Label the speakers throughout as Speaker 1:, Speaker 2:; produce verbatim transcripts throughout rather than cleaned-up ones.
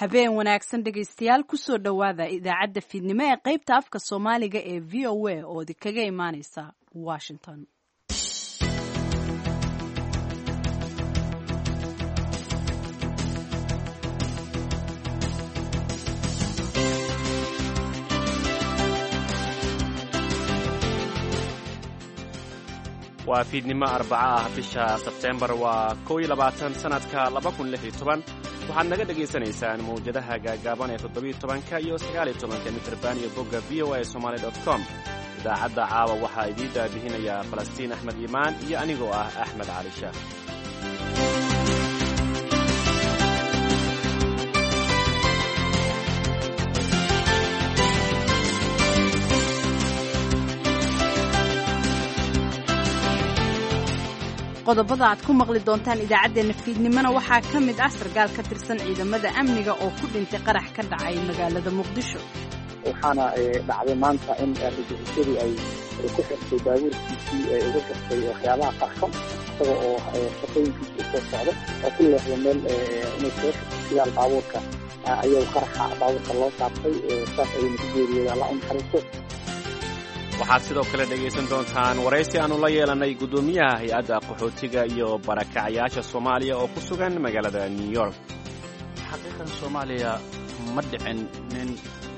Speaker 1: Habeen wanaagsan dhegaystayaal, kusoo dhowaada idaacadda fiidnimo ee qaybta afka Soomaaliga ee V O A oo idinkaga imaaneysa Washington.
Speaker 2: Waa fiidnimo arbaco ah, bisha Sebteembar waa kow iyo labaatan, sanadka laba kun lix iyo toban. Waxaad naga dhegaysanaysaan mawjadaha gaagaaban ee toddobiyo tobanka iyo sagaaliyo tobanka mitrban iyo bogga V O A somaali dot com. Idaacadda caawa waxaa idiin daabihinayaa Falastiin Axmed Iimaan iyo anigoo ah Axmed Cali Shaah.
Speaker 1: Qodobada aad ku maqli doontaan idaacaddeenna fiidnimona waxaa ka mid ah sarkaal ka tirsan ciidamada amniga oo ku dhintay qarax ka dhacay magaalada Muqdisho.
Speaker 3: Waxaana dhacday maanta in argagixisadii ay ku xirtay baabuurkiisii, ay ugu xirtay waxyaabaha qarxo, isaga oo shaqooyinkiisa usoo socdo oo ku leexda meel inay kaga xirto sidaal baabuurka ayaa qaraxa baabuurka loo saartay, saas ayayna ku geeriyooda. Allah u naxariisto.
Speaker 2: Waxaad sidoo kale dhegaysan doontaan waraysi aannu la yeelannay guddoomiyaha hay-adda qaxootiga iyo barakacayaasha Soomaaliya oo ku sugan magaalada New York.
Speaker 4: Xaqiiqan Soomaaliya ma dhicin nin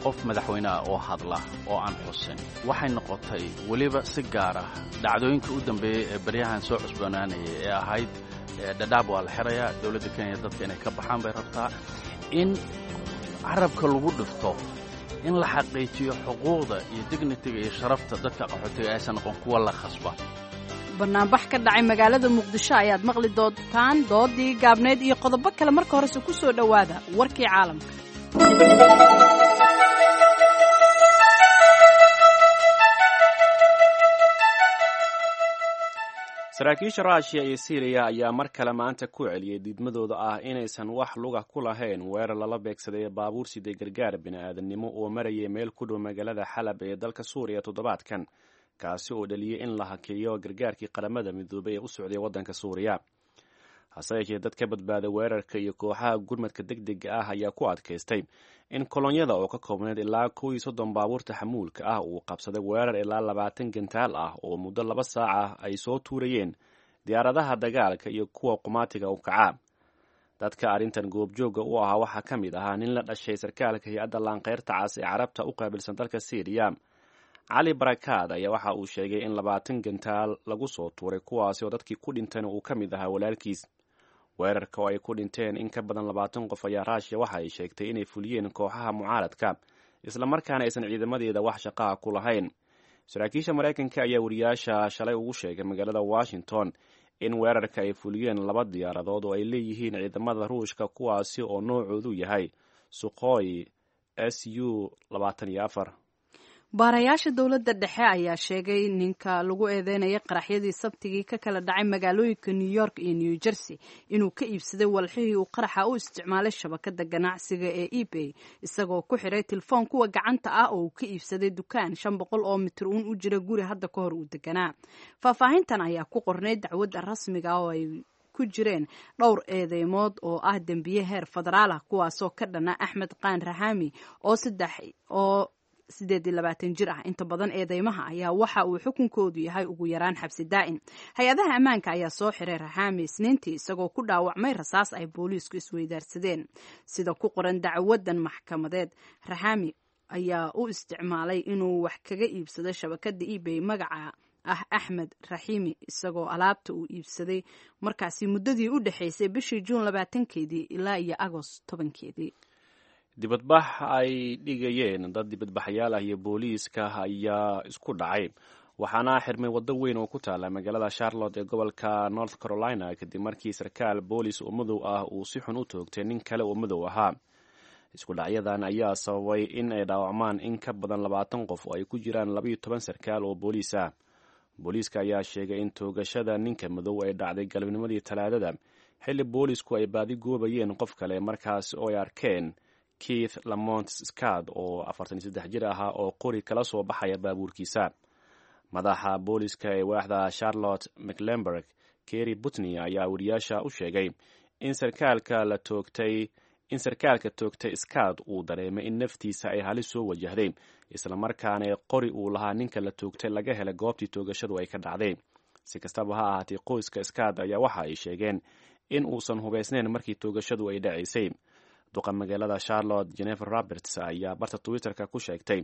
Speaker 4: qof madaxweyne ah oo hadla oo aan xusin. Waxay noqotay weliba si gaar ah dhacdooyinka u dambeeyey ee baryahan soo cusboonaanayay ee ahayd Dhadhaab waa la xirayaa, dowladda Kenya dadka inay ka baxaan bay rabtaa, in carabka lagu dhifto in la xaqiijiyo xuquuqda iyo dignitiga iyo sharafta dadka qaxootiga aysan noqon kuwa la khasba.
Speaker 1: Banaanbax ka dhacay magaalada Muqdisho ayaad maqli doontaan, doodii gaabneyd iyo qodobo kale. Marka horese ku soo dhowaada warkii caalamka.
Speaker 2: Saraakiisha Ruushiya iyo Siiriya ayaa mar kale maanta ku celiyey diidmadooda ah inaysan wax luga ku lahayn weerar lala beegsaday baabuur siday gargaar bini'aadamnimo oo marayay meel ku dhow magaalada Xalab ee dalka Suuriya toddobaadkan, kaasi oo dhaliyey in la hakeeyo gargaarkii Qaramada Midoobay ee u socday waddanka Suuriya. Hase yeeshee, dad ka badbaaday weerarka iyo kooxaha gurmadka degdega ah ayaa ku adkaystay in kolonyada oo ka koobnayd ilaa kow iyo soddon baabuurta xamuulka ah uu qabsaday weerar ilaa labaatan gantaal ah oo muddo laba saac ah ay soo tuurayeen diyaaradaha dagaalka iyo kuwa qumaatiga u kacaa. Dadka arrintan goobjoogga u ahaa waxaa ka mid ahaa nin la dhashay sarkaalka hay-adda Laanqeyrta Cas ee Carabta u qaabilsan dalka Siiriya. Cali Barakaad ayaa waxa uu sheegay in labaatan gantaal lagu soo tuuray, kuwaasi oo dadkii ku dhintayna uu ka mid ahaa walaalkiis. Weerarka oo ay ku dhinteen in ka badan labaatan qof ayaa Ruushiya waxa ay sheegtay inay fuliyeen kooxaha mucaaradka, islamarkaana aysan ciidamadeeda wax shaqaha ku lahayn. Saraakiisha Maraykanka ayaa wariyaasha shalay ugu sheegay magaalada Washington in weerarka ay fuliyeen laba diyaaradood oo ay leeyihiin ciidamada Ruushka, kuwaasi oo noocoodu yahay Sukhoi S U labaatan iyo afar.
Speaker 1: Baarayaasha dowladda dhexe ayaa sheegay ninka lagu eedeynaya qaraxyadii Sabtigii ka kala dhacay magaalooyinka New York iyo New Jersey inuu ka iibsaday walxihii uu qaraxa u isticmaalay shabakada ganacsiga ee eBay, isagoo ku xiray telefoon kuwa gacanta ah oo uu ka iibsaday dukaan shan boqol oo mitir uun u jira guri hadda ka hor uu deganaa. Faahfaahintan ayaa ku qornay dacwadda rasmiga oo ay ku jireen dhowr eedeymood oo ah dembiye heer federaal ah, kuwaasoo ka dhana Axmed Qaan Raxaami oo saddex oo sideed iyo labaatan jir ah. Inta badan eedeymaha ayaa waxa uu xukunkoodu yahay ugu yaraan xabsi daa'im. Hay-adaha ammaanka ayaa soo xiray Raxaami Isniintii, isagoo ku dhaawacmay rasaas ay booliisku isweydaarsadeen. Sida ku qoran dacwadan maxkamadeed, Raxaami ayaa u isticmaalay inuu wax kaga iibsado shabakada eBay magaca ah Axmed Raxiimi, isagoo alaabta uu iibsaday markaasi muddadii u dhexaysay bishii Juun labaatankeedii ilaa iyo Agost tobankeedii.
Speaker 2: Dibadbax ay dhigayeen dad dibadbaxayaal ah iyo booliiska ayaa isku dhacay, waxaana xirmay waddo weyn oo ku taala magaalada Charlotte ee gobolka North Carolina, kadib markii sarkaal boolis oo madow ah uu si xun u toogtay nin kale oo madow ahaa. Isku dhacyadan ayaa sababay in ay dhaawacmaan in ka badan labaatan qof oo ay ku jiraan labaiyo toban sarkaal oo booliis ah. Booliiska ayaa sheegay in toogashada ninka madow ay dhacday galabnimadii Talaadada, xilli boolisku ay baadi goobayeen qof kale, markaas oo ay arkeen Keith Lamont Scott oo afartan iyo saddex jir ahaa oo qori kala soo baxaya baabuurkiisa. Madaxa booliska ee waaxda Charlotte Mecklenburg, Kerry Butney, ayaa wariyaasha u sheegay in sarkaalka la toogtay in sarkaalka toogtay Scott uu dareemay in naftiisa ay halis soo wajahday, islamarkaana qori uu lahaa ninka la toogtay laga helay goobtii toogashadu ay ka dhacday. Si kastaba ha ahaatee, qoyska Scott ayaa waxa ay sheegeen in uusan hubaysnayn markii toogashadu ay dhacaysay. Duqa magaalada Charlotte Jennifer Roberts ayaa barta Twitterka ku sheegtay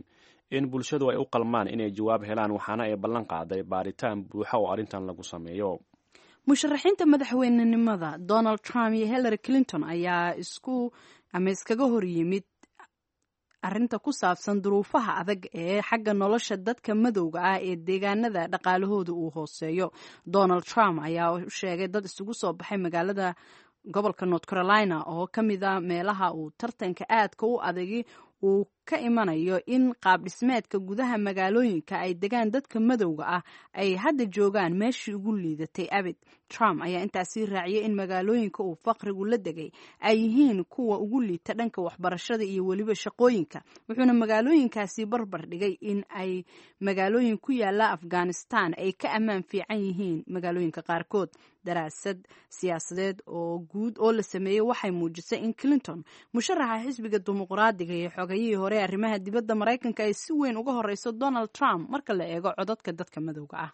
Speaker 2: in bulshadu ay u qalmaan inay jawaab helaan, waxaana ay ballan qaaday baaritaan buuxa oo arrintan lagu sameeyo.
Speaker 1: Musharaxiinta madaxweynenimada Donald Trump iyo Hillary Clinton ayaa isku ama iskaga hor yimid arrinta ku saabsan duruufaha adag ee xagga nolosha dadka madowga ah ee deegaanada dhaqaalahooda uu hooseeyo. Donald Trump ayaa u sheegay dad isugu soo baxay magaalada gobolka North Carolina oo ka mid a meelaha uu tartanka aadka u adagi uu ka imanayo in qaab dhismeedka gudaha magaalooyinka ay degaan dadka madowga ah ay hadda joogaan meeshii ugu liidatay abid. Trump ayaa intaasi raaciyay in magaalooyinka uu faqrigu la degay ay yihiin kuwa ugu liita dhanka waxbarashada iyo weliba shaqooyinka, wuxuuna magaalooyinkaasi barbar dhigay in ay magaalooyin ku yaala Afghanistan ay ka ammaan fiican yihiin magaalooyinka qaarkood. Daraasad siyaasadeed oo guud oo la sameeyey waxay muujisay in Clinton, musharaxa xisbiga Dimuqraadiga iyo xogayihii hore arrimaha dibadda Maraykanka, ay si weyn uga horeyso Donald Trump marka la eego codadka dadka madowga ah.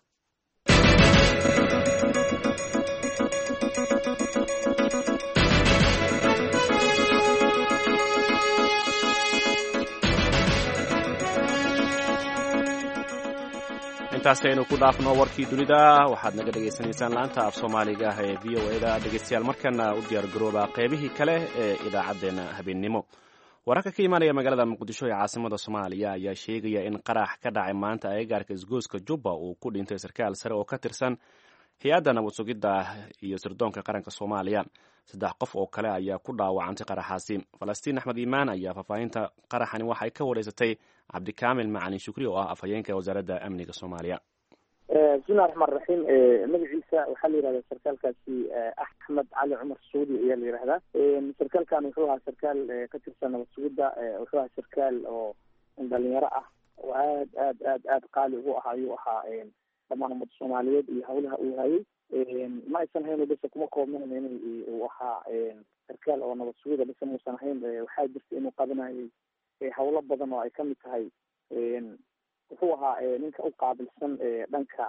Speaker 2: Intaasaynu ku dhaafno warkii dunida. Waxaad naga dhegaysanaysaan laanta af Soomaaliga ah ee V O E da. Dhegaystayaal, markana u diyaar garooba qaybihii kale ee idaacaddeenna habeennimo. Wararka ka imaanaya magaalada Muqdisho ee caasimada Soomaaliya ayaa sheegaya in qarax ka dhacay maanta agagaarka isgoyska Jubba uu ku dhintay sarkaal sare oo ka tirsan hay-adda nabad sugidda iyo sirdoonka qaranka Soomaaliya. Saddex qof oo kale ayaa ku dhaawacantay qaraxaasi. Falastiin Axmed Iimaan ayaa faahfaahinta qaraxani waxay ka wareysatay Cabdikaamil Macalin Shukri oo ah afhayeenka wasaaradda amniga Soomaaliya.
Speaker 3: Bismillahi raxmaan raxiim. Magaciisa waxaa la yihahdaa sarkaalkaasi Axmed Cali Cumar Suudi ayaa la yihahdaa. Sarkaalkan wuxuu ahaa sarkaal ka tirsan nabad sugidda, wuxuu ahaa sarkaal oo dhalinyaro ah oo aad aad aad aad qaali ugu ah ayuu ahaa dhammaan ummadda Soomaaliyeed iyo hawlaha uu hayay. Ma aysan hayn bese kuma koobnayn in uu ahaa sarkaal oo nabad sugida bese muusan ahayn, waxaa jirta inuu qabanayay hawlo badan oo ay kamid tahay wuxuu ahaa ninka u qaabilsan dhanka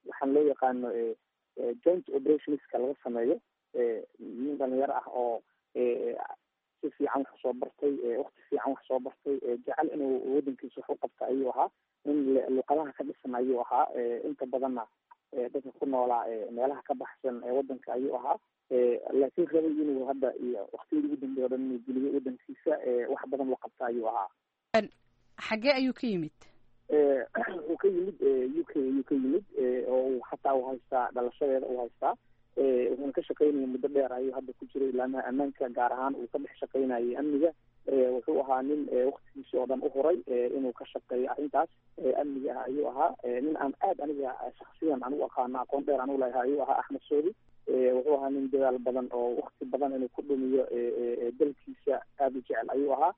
Speaker 3: waxaan loo yaqaano joint operationska laga sameeyo. Nin dhalinyaro ah oo si fiican wax soo bartay, wakti fiican wax soo bartay, jecel inuu wadankiisa wax u qabta ayuu ahaa. Nin luqadaha ka dhisan ayuu ahaa, inta badanna dadka ku noolaa meelaha ka baxsan wadanka ayuu ahaa, laakiin rabay inuu hadda iyo waktiyadii ugu dambeey o dhan inuu geliyo wadankiisa, wax badan loo qabta ayuu ahaa.
Speaker 1: Xagee ayuu ka yimid?
Speaker 3: Wuxuu ka yimid U K ayuu ka yimid, oo uu xataa u haystaa dhalashadeeda uu haystaa. Wuxuuna ka shaqaynayay muddo dheer ayuu hadda ku jiray ilaamaha ammaanka, gaar ahaan uu ka dhex shaqaynayay amniga. Wuxuu ahaa nin waktigiisi oo dhan u huray inuu ka shaqeeyo arrintaas amniga ah ayuu ahaa. Nin aan aad aniga shaksiyan aan u aqaano, aqoon dheer aan u leeyahay ayuu ahaa Axmed Soodi. Wuxuu ahaa nin dadaal badan oo wakti badan inuu ku dhumiyo dalkiisa aada u jecel ayuu ahaa.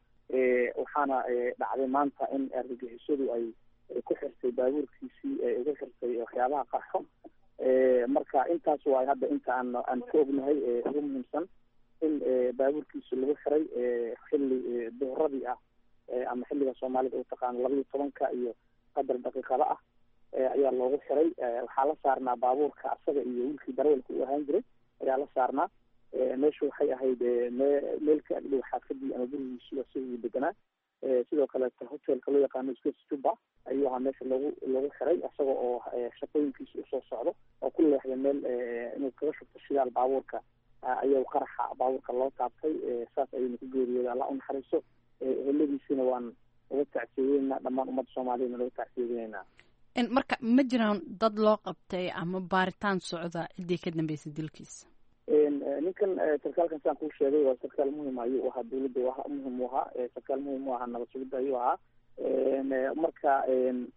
Speaker 3: Waxaana dhacday maanta in argagixisadu ay ku xirtay baabuurkiisii, ugu xirtay waxyaabaha qarxo. Marka intaas waay hadda inta aan aan ka ognahay ugu muhiimsan in baabuurkiisi lagu xiray xilli duhuradii ah ama xilliga Soomaalida u taqaano labaiyo tobanka iyo qadar daqiiqada ah ayaa loogu xiray. Waxaa la saarnaa baabuurka asaga iyo wiilkii darawalka uu ahaan jiray ayaa la saarnaa. Meeshu waxay ahayd meel ka agdhow xaafadii ama gurigiisu isaguu deganaa. Sidoo kaleeta hotelka loo yaqaano Swiss Juba ayuu ahaa meesha lagu lagu xiray, isaga oo shaqooyinkiisa usoo socdo oo ku leexday meel inuu kaga shubto shidaal baabuurka ayaa qaraxa baabuurka loo taabtay, saas ayayna ku geeriyooday. Allah u naxariiso, eheladiisina waan uga tacsiyeynaa, dhammaan ummadda Soomaaliyadna looga tacsiyeynaa.
Speaker 1: Marka ma jiraan dad loo qabtay ama baaritaan socda ciddii ka dambeysay dilkiisa?
Speaker 3: Ninkan sarkaalkan saan kuu sheegay waa sarkaal muhim ayuu ahaa, dawladda u muhim u ahaa, sarkaal muhim u ahaa nabad sugidda ayuu ahaa. Marka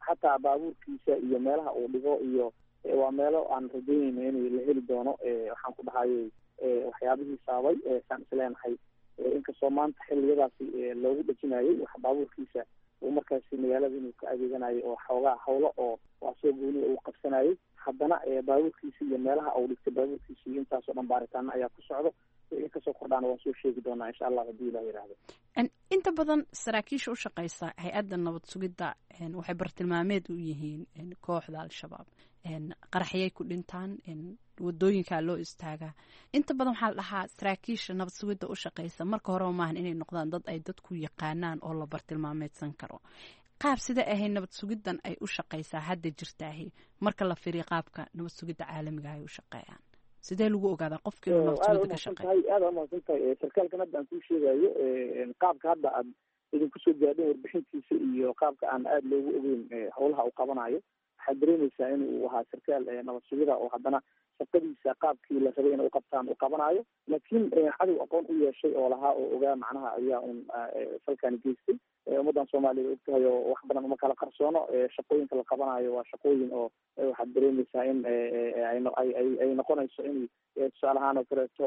Speaker 3: xataa baabuurkiisa iyo meelaha uu dhigo iyo waa meelo aan rajaynayno inay la heli doono. Waxaan ku dhahayay waxyaabihii sababay saan isleenahay, inkastoo maanta xilliyadaasi loogu dhejinayay wax baabuurkiisa uu markaasi magaalada inuu ka adeeganayo oo xoogaa hawlo oo waa soo gooniya uu qabsanayay, haddana baabuurkiisa iyo meelaha uu dhigtay baabuurkiisa iyo intaasoo dhan baaritaano ayaa ku socdo. Wixii kasoo kordhaana waan soo sheegi doonaa insha Allah haddii Ilah yidhaahdo.
Speaker 1: Inta badan saraakiisha u shaqeysa hay-adda nabad sugidda waxay bartilmaameed u yihiin kooxda Al-Shabaab, qaraxyay ku dhintaan, wadooyinkaa loo istaagaa. Inta badan waxaa la dhahaa saraakiisha nabad sugidda u shaqeysa marka horeba maahan inay noqdaan dad ay dadku yaqaanaan oo la bartilmaameedsan karo. Qaab sida ahay nabad sugiddan ay u shaqeysaa hadda jirtaahi marka la firiyo qaabka nabad sugidda caalamiga ay u shaqeeyaan, sidee lagu ogaadaa qofka inuu nabad sugidda ka shaqeeyo?
Speaker 3: Aada umahadsan tahay. Sarkaalkan hadda aan kuu sheegayo, qaabka hadda aad idinku soo gaadhin warbixintiisa iyo qaabka aan aada loogu ogeyn howlaha uu qabanayo, waxaad dareemeysaa in uu ahaa sarkaal nabad sugida oo haddana shaqadiisa qaabkii la rabay inay uqabtaan uu qabanayo, laakiin cadow aqoon u yeeshay oo lahaa oo ogaa macnaha ayaa un salkaani geystay. Ummaddan Soomaaliya og tahay oo wax badan uma kala qarsoono. Shaqooyinka la qabanayo waa shaqooyin oo waxaad dareemeysaa in ay noqonayso in tusaale ahaan oo kaleeto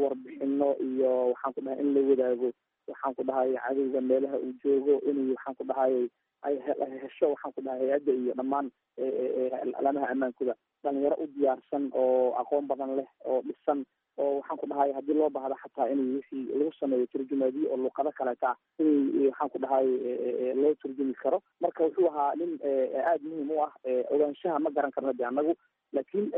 Speaker 3: warbixino iyo waxaan ku dhahay in la wadaago, waxaan ku dhahay cadowga meelaha uu joogo, inay waxaan ku dhahay ay hesho, waxaan ku dhahay hay-adda iyo dhammaan alaamaha ammaankooda dhalinyaro u diyaarsan oo aqoon badan leh oo dhisan oo waxaan ku dhahay haddii loo baahdo xataa inay wixii lagu sameeyo turjumaadiyo oo luqado kaleeta ah inay waxaan ku dhahay loo turjumi karo. Marka wuxuu ahaa nin aada muhiim u ah. Ogaanshaha ma garan karno de annagu, laakiin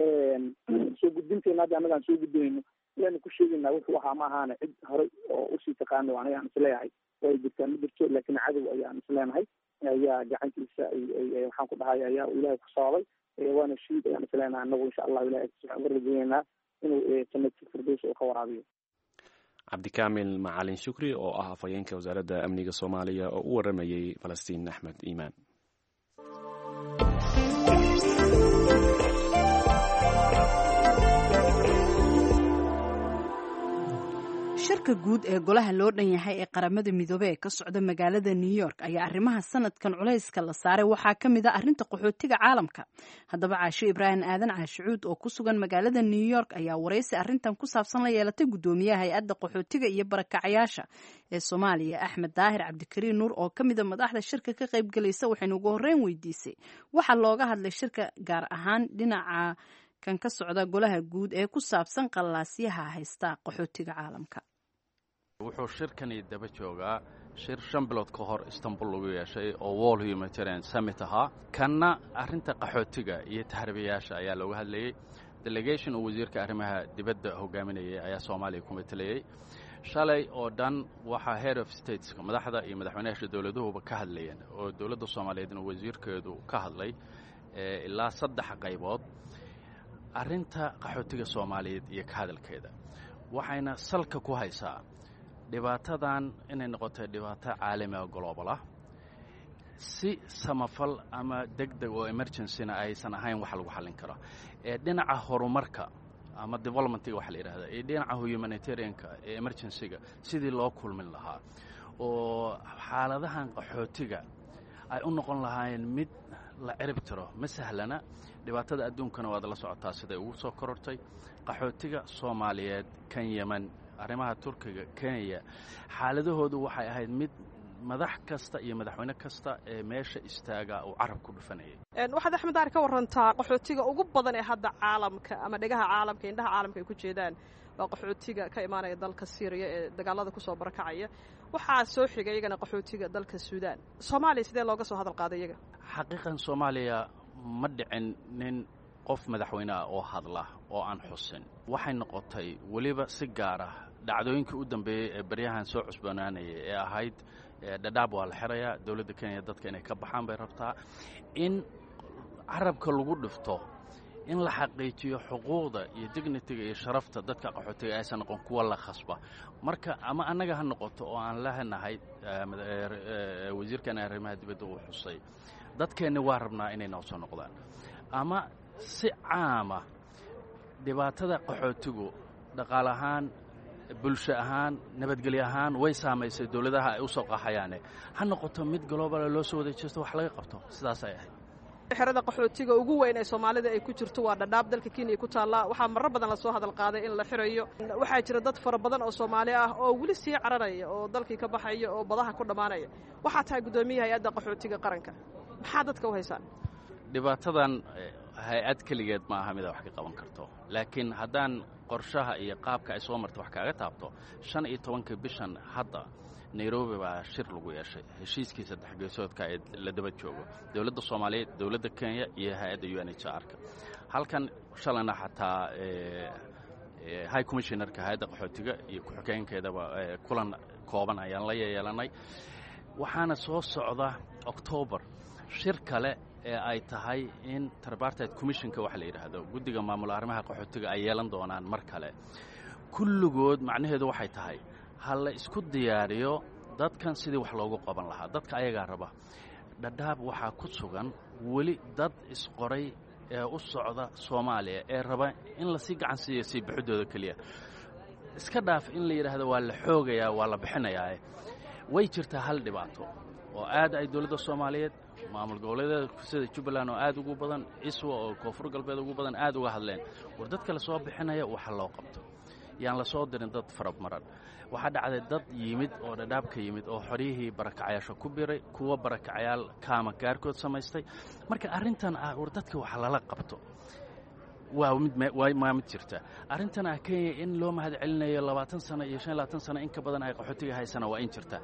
Speaker 3: soo gudbinteyna hadda annagaan soo gudbinayno ayaanu ku sheegaynaa wuxuu ahaa, ma ahaana cid horey oo usii taqaano aniga aan isleeyahay way jirtaa ma jirto, laakiin cadow ayaan isleenahay ayaa gacantiisa waxaan ku dhahay ayaa Ilaahay ku sababay, waana shiid ayaan isleenahay annagu. Insha Allahu Ilahay waxaan uga rajeynaynaa inuu jannati firdaws uu ka waraabiyo.
Speaker 2: Cabdikaamil Macalin Shukri oo ah afhayeenka wasaaradda amniga Soomaaliya oo u waramayey Falastiin Axmed Iimaan.
Speaker 1: Shirka guud ee golaha loo dhan yahay ee Qaramada Midoobey ee ka socda magaalada New York ayaa arrimaha sanadkan culayska la saaray waxaa ka mid a arrinta qaxootiga caalamka. Haddaba Caasho Ibraahim Aadan Caashicuud oo ku sugan magaalada New York ayaa waraysi arrintan ku saabsan la yeelatay guddoomiyaha hay-adda qaxootiga iyo barakacayaasha ee Soomaaliya, Axmed Daahir Cabdikariin Nuur, oo ka mid a madaxda shirka ka qaybgalaysa. Waxaynu ugu horreyn weydiisay waxaa looga hadlay shirka, gaar ahaan dhinaca kan ka socda golaha guud ee ku saabsan qallaasyaha haysta qaxootiga caalamka.
Speaker 4: Wuxuu shirkani daba joogaa shir shan bilood ka hor Istanbul lagu yeeshay oo World Humanitarian Summit ahaa. Kanna arrinta qaxootiga iyo tahriibayaasha ayaa looga hadlayey. Delegation uu wasiirka arrimaha dibadda hogaaminayay ayaa Soomaaliya ku matelayey. Shalay oo dhan waxaa head of stateska, madaxda iyo madaxweynayaasha dowladuhuba ka hadlayeen, oo dowladda Soomaaliyeedna wasiirkeedu ka hadlay ilaa saddex qaybood arrinta qaxootiga Soomaaliyeed iyo ka hadalkeeda. Waxayna salka ku haysaa dhibaatadan inay noqotay dhibaato caalami oo global ah, si samafal ama deg deg oo emergencyna aysan ahayn wax lagu xallin karo ee dhinaca horumarka ama developmentiga waxa la yidhahda iyo dhinaca humanitarianka ee emergencyga sidii loo kulmin lahaa oo xaaladahan qaxootiga ay u noqon lahaayeen mid la cirib tiro. Ma sahlana, dhibaatada adduunkana waad la socotaa siday ugu soo korortay. Qaxootiga Soomaaliyeed, kan Yemen, arrimaha Turkiga, Kenya, xaaladahoodu waxay ahayd mid madax kasta iyo madaxweyne kasta ee meesha istaagaa uu carab ku dhufanayay.
Speaker 5: Waxaad Axmed Daar ka warantaa qaxootiga ugu badan ee hadda caalamka ama dhegaha caalamka, indhaha caalamka ay ku jeedaan waa qaxootiga ka imaanaya dalka Siiriya ee dagaalada kusoo barakacaya. Waxaa soo xigay iyagana qaxootiga dalka Suudaan. Soomaaliya sidee looga soo hadal qaaday iyaga?
Speaker 4: Xaqiiqan Soomaaliya ma dhicin nin qof madaxweyne ah oo hadla oo aan xusin. Waxay noqotay weliba si gaar ah dhacdooyinkii u dambeeyey ee baryahan soo cusboonaanayay ee ahayd Dhadhaab waa la xirayaa, dowladda Kenya dadka inay ka baxaan bay rabtaa, in carabka lagu dhifto in la xaqiijiyo xuquuqda iyo dignitiga iyo sharafta dadka qaxootiga aysan noqon kuwa la khasba. Marka ama annaga ha noqoto oo aan lehnahay wasiirkan arrimaha dibadda uu xusay dadkeenni waa rabnaa inay noo soo noqdaan, ama si caama dhibaatada qaxootigu dhaqaale ahaan, bulsho ahaan, nabadgelyo ahaan way saamaysay dowladaha ay u soo qaxayaane, ha noqoto mid globala loo soo wada jeesto wax laga qabto. Sidaas ay ahayd.
Speaker 5: Xerada qaxootiga ugu weyn ee Soomaalida ay ku jirto waa Dhadhaab, dalka Kenya ku taallaa. Waxaa marar badan lasoo hadal qaaday in la xirayo. Waxaa jira dad fara badan oo Soomaali ah oo weli sii cararaya oo dalkii ka baxaya oo badaha ku dhammaanaya. Waxaa tahay guddoomiyaha hay-adda qaxootiga qaranka, maxaa dadka u haysaan?
Speaker 4: Dhibaatadan Hay-ad keligeed ma aha midaa wax ka qaban karto, laakiin haddaan qorshaha iyo qaabka ay soo marta wax kaaga taabto, shan iyo tobanka bishan hadda Nairobi baa shir lagu yeeshay, heshiiskii saddex geesoodka ee la daba joogo dowladda Soomaaliyeed, dowladda Kenya iyo hay-adda U N H R ka. Halkan shalayna xataa high commissionerka hay-adda qaxootiga iyo ku-xigeenkeedaba kulan kooban ayaan la yeelanay. Waxaana soo socda Octoobar shir kale ee ay tahay in Tripartite Commissionka waxa la yidhaahdo, guddiga maamul arrimaha qaxootiga, ay yeelan doonaan mar kale kulligood. Macnaheedu waxay tahay ha la isku diyaariyo dadkan sidii wax loogu qaban lahaa. Dadka ayagaa raba. Dhadhaab waxaa ku sugan weli dad isqoray ee u socda Soomaaliya ee raba in lasii gacan siiyo sii bixidooda keliya. Iska dhaaf in la yidhaahdo waa la xoogayaa, waa la bixinayaa. Way jirtaa hal dhibaato oo aad ay dowladda Soomaaliyeed, maamul goboleedyada sida Jubbaland oo aad ugu badan, Iswa oo Koonfur Galbeed ugu badan, aad uga hadleen: war dadka la soo bixinaya waxa loo qabto, yaan la soo dirin dad farabmaran. Waxaa dhacday dad yimid oo Dhadhaab ka yimid oo xoryihii barakacayaasha ku biray, kuwa barakacayaal kaama gaarkood samaystay. Marka arrintan ah war dadka wax lala qabto waa mid waa mid jirta. Arrintan ah Kenya in loo mahad celinayo labaatan sano iyo shan iyo labaatan sano in ka badan ay qaxootiga haysana waa in jirta.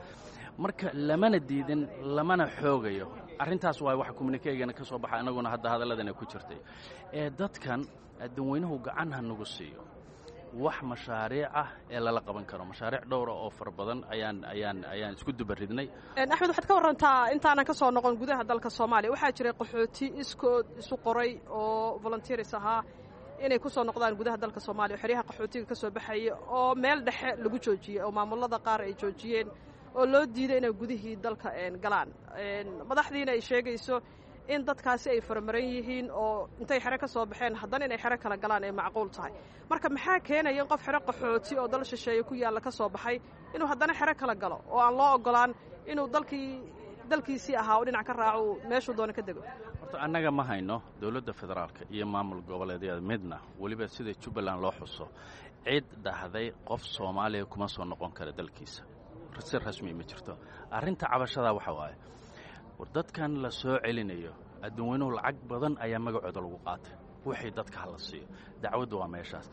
Speaker 4: Marka lamana diidin, lamana xoogayo. Arrintaas waa waxa communiquegana ka soo baxa, annaguna hadda hadalladana ku jirtay ee dadkan adduunweynuhu gacan ha nagu siiyo wax mashaariic ah ee lala qaban karo. Mashaariic dhowra oo fara badan ayaan ayaan ayaan isku dubaridnay.
Speaker 5: Axmed, waxaad ka warrantaa intaanan ka soo noqon gudaha dalka Soomaaliya, waxaa jiray qaxooti iskood isu qoray oo volunteers ahaa inay ku soo noqdaan gudaha dalka Soomaaliya, xeryaha qaxootiga ka soo baxaya, oo meel dhexe lagu joojiyey oo maamulada qaar ay joojiyeen oo loo diiday inay gudihii dalka galaan. Madaxdiina ay sheegayso in dadkaasi ay faramaran yihiin oo intay xero ka soo baxeen haddana inay xero kala galaan ay macquul tahay. Marka maxaa keenaya in qof xero qaxooti oo dal shisheeye ku yaalla ka soo baxay inuu haddana xero kala galo oo aan loo ogolaan inuu dalkii dalkiisii ahaa oo dhinac ka raaco, meeshuu doona ka dego?
Speaker 4: Horta annaga ma hayno dowladda federaalka iyo maamul goboleedyada midna, weliba sida Jubbaland loo xuso, cid dhahday qof Soomaaliya kuma soo noqon kara dalkiisa si rasmi ma jirto. Arrinta cabashadaa waxa waaye war dadkan la soo celinayo adduunweynuhu lacag badan ayaa magacooda lagu qaatay, wixii dadka hala siiyo. Dacwaddu waa meeshaas.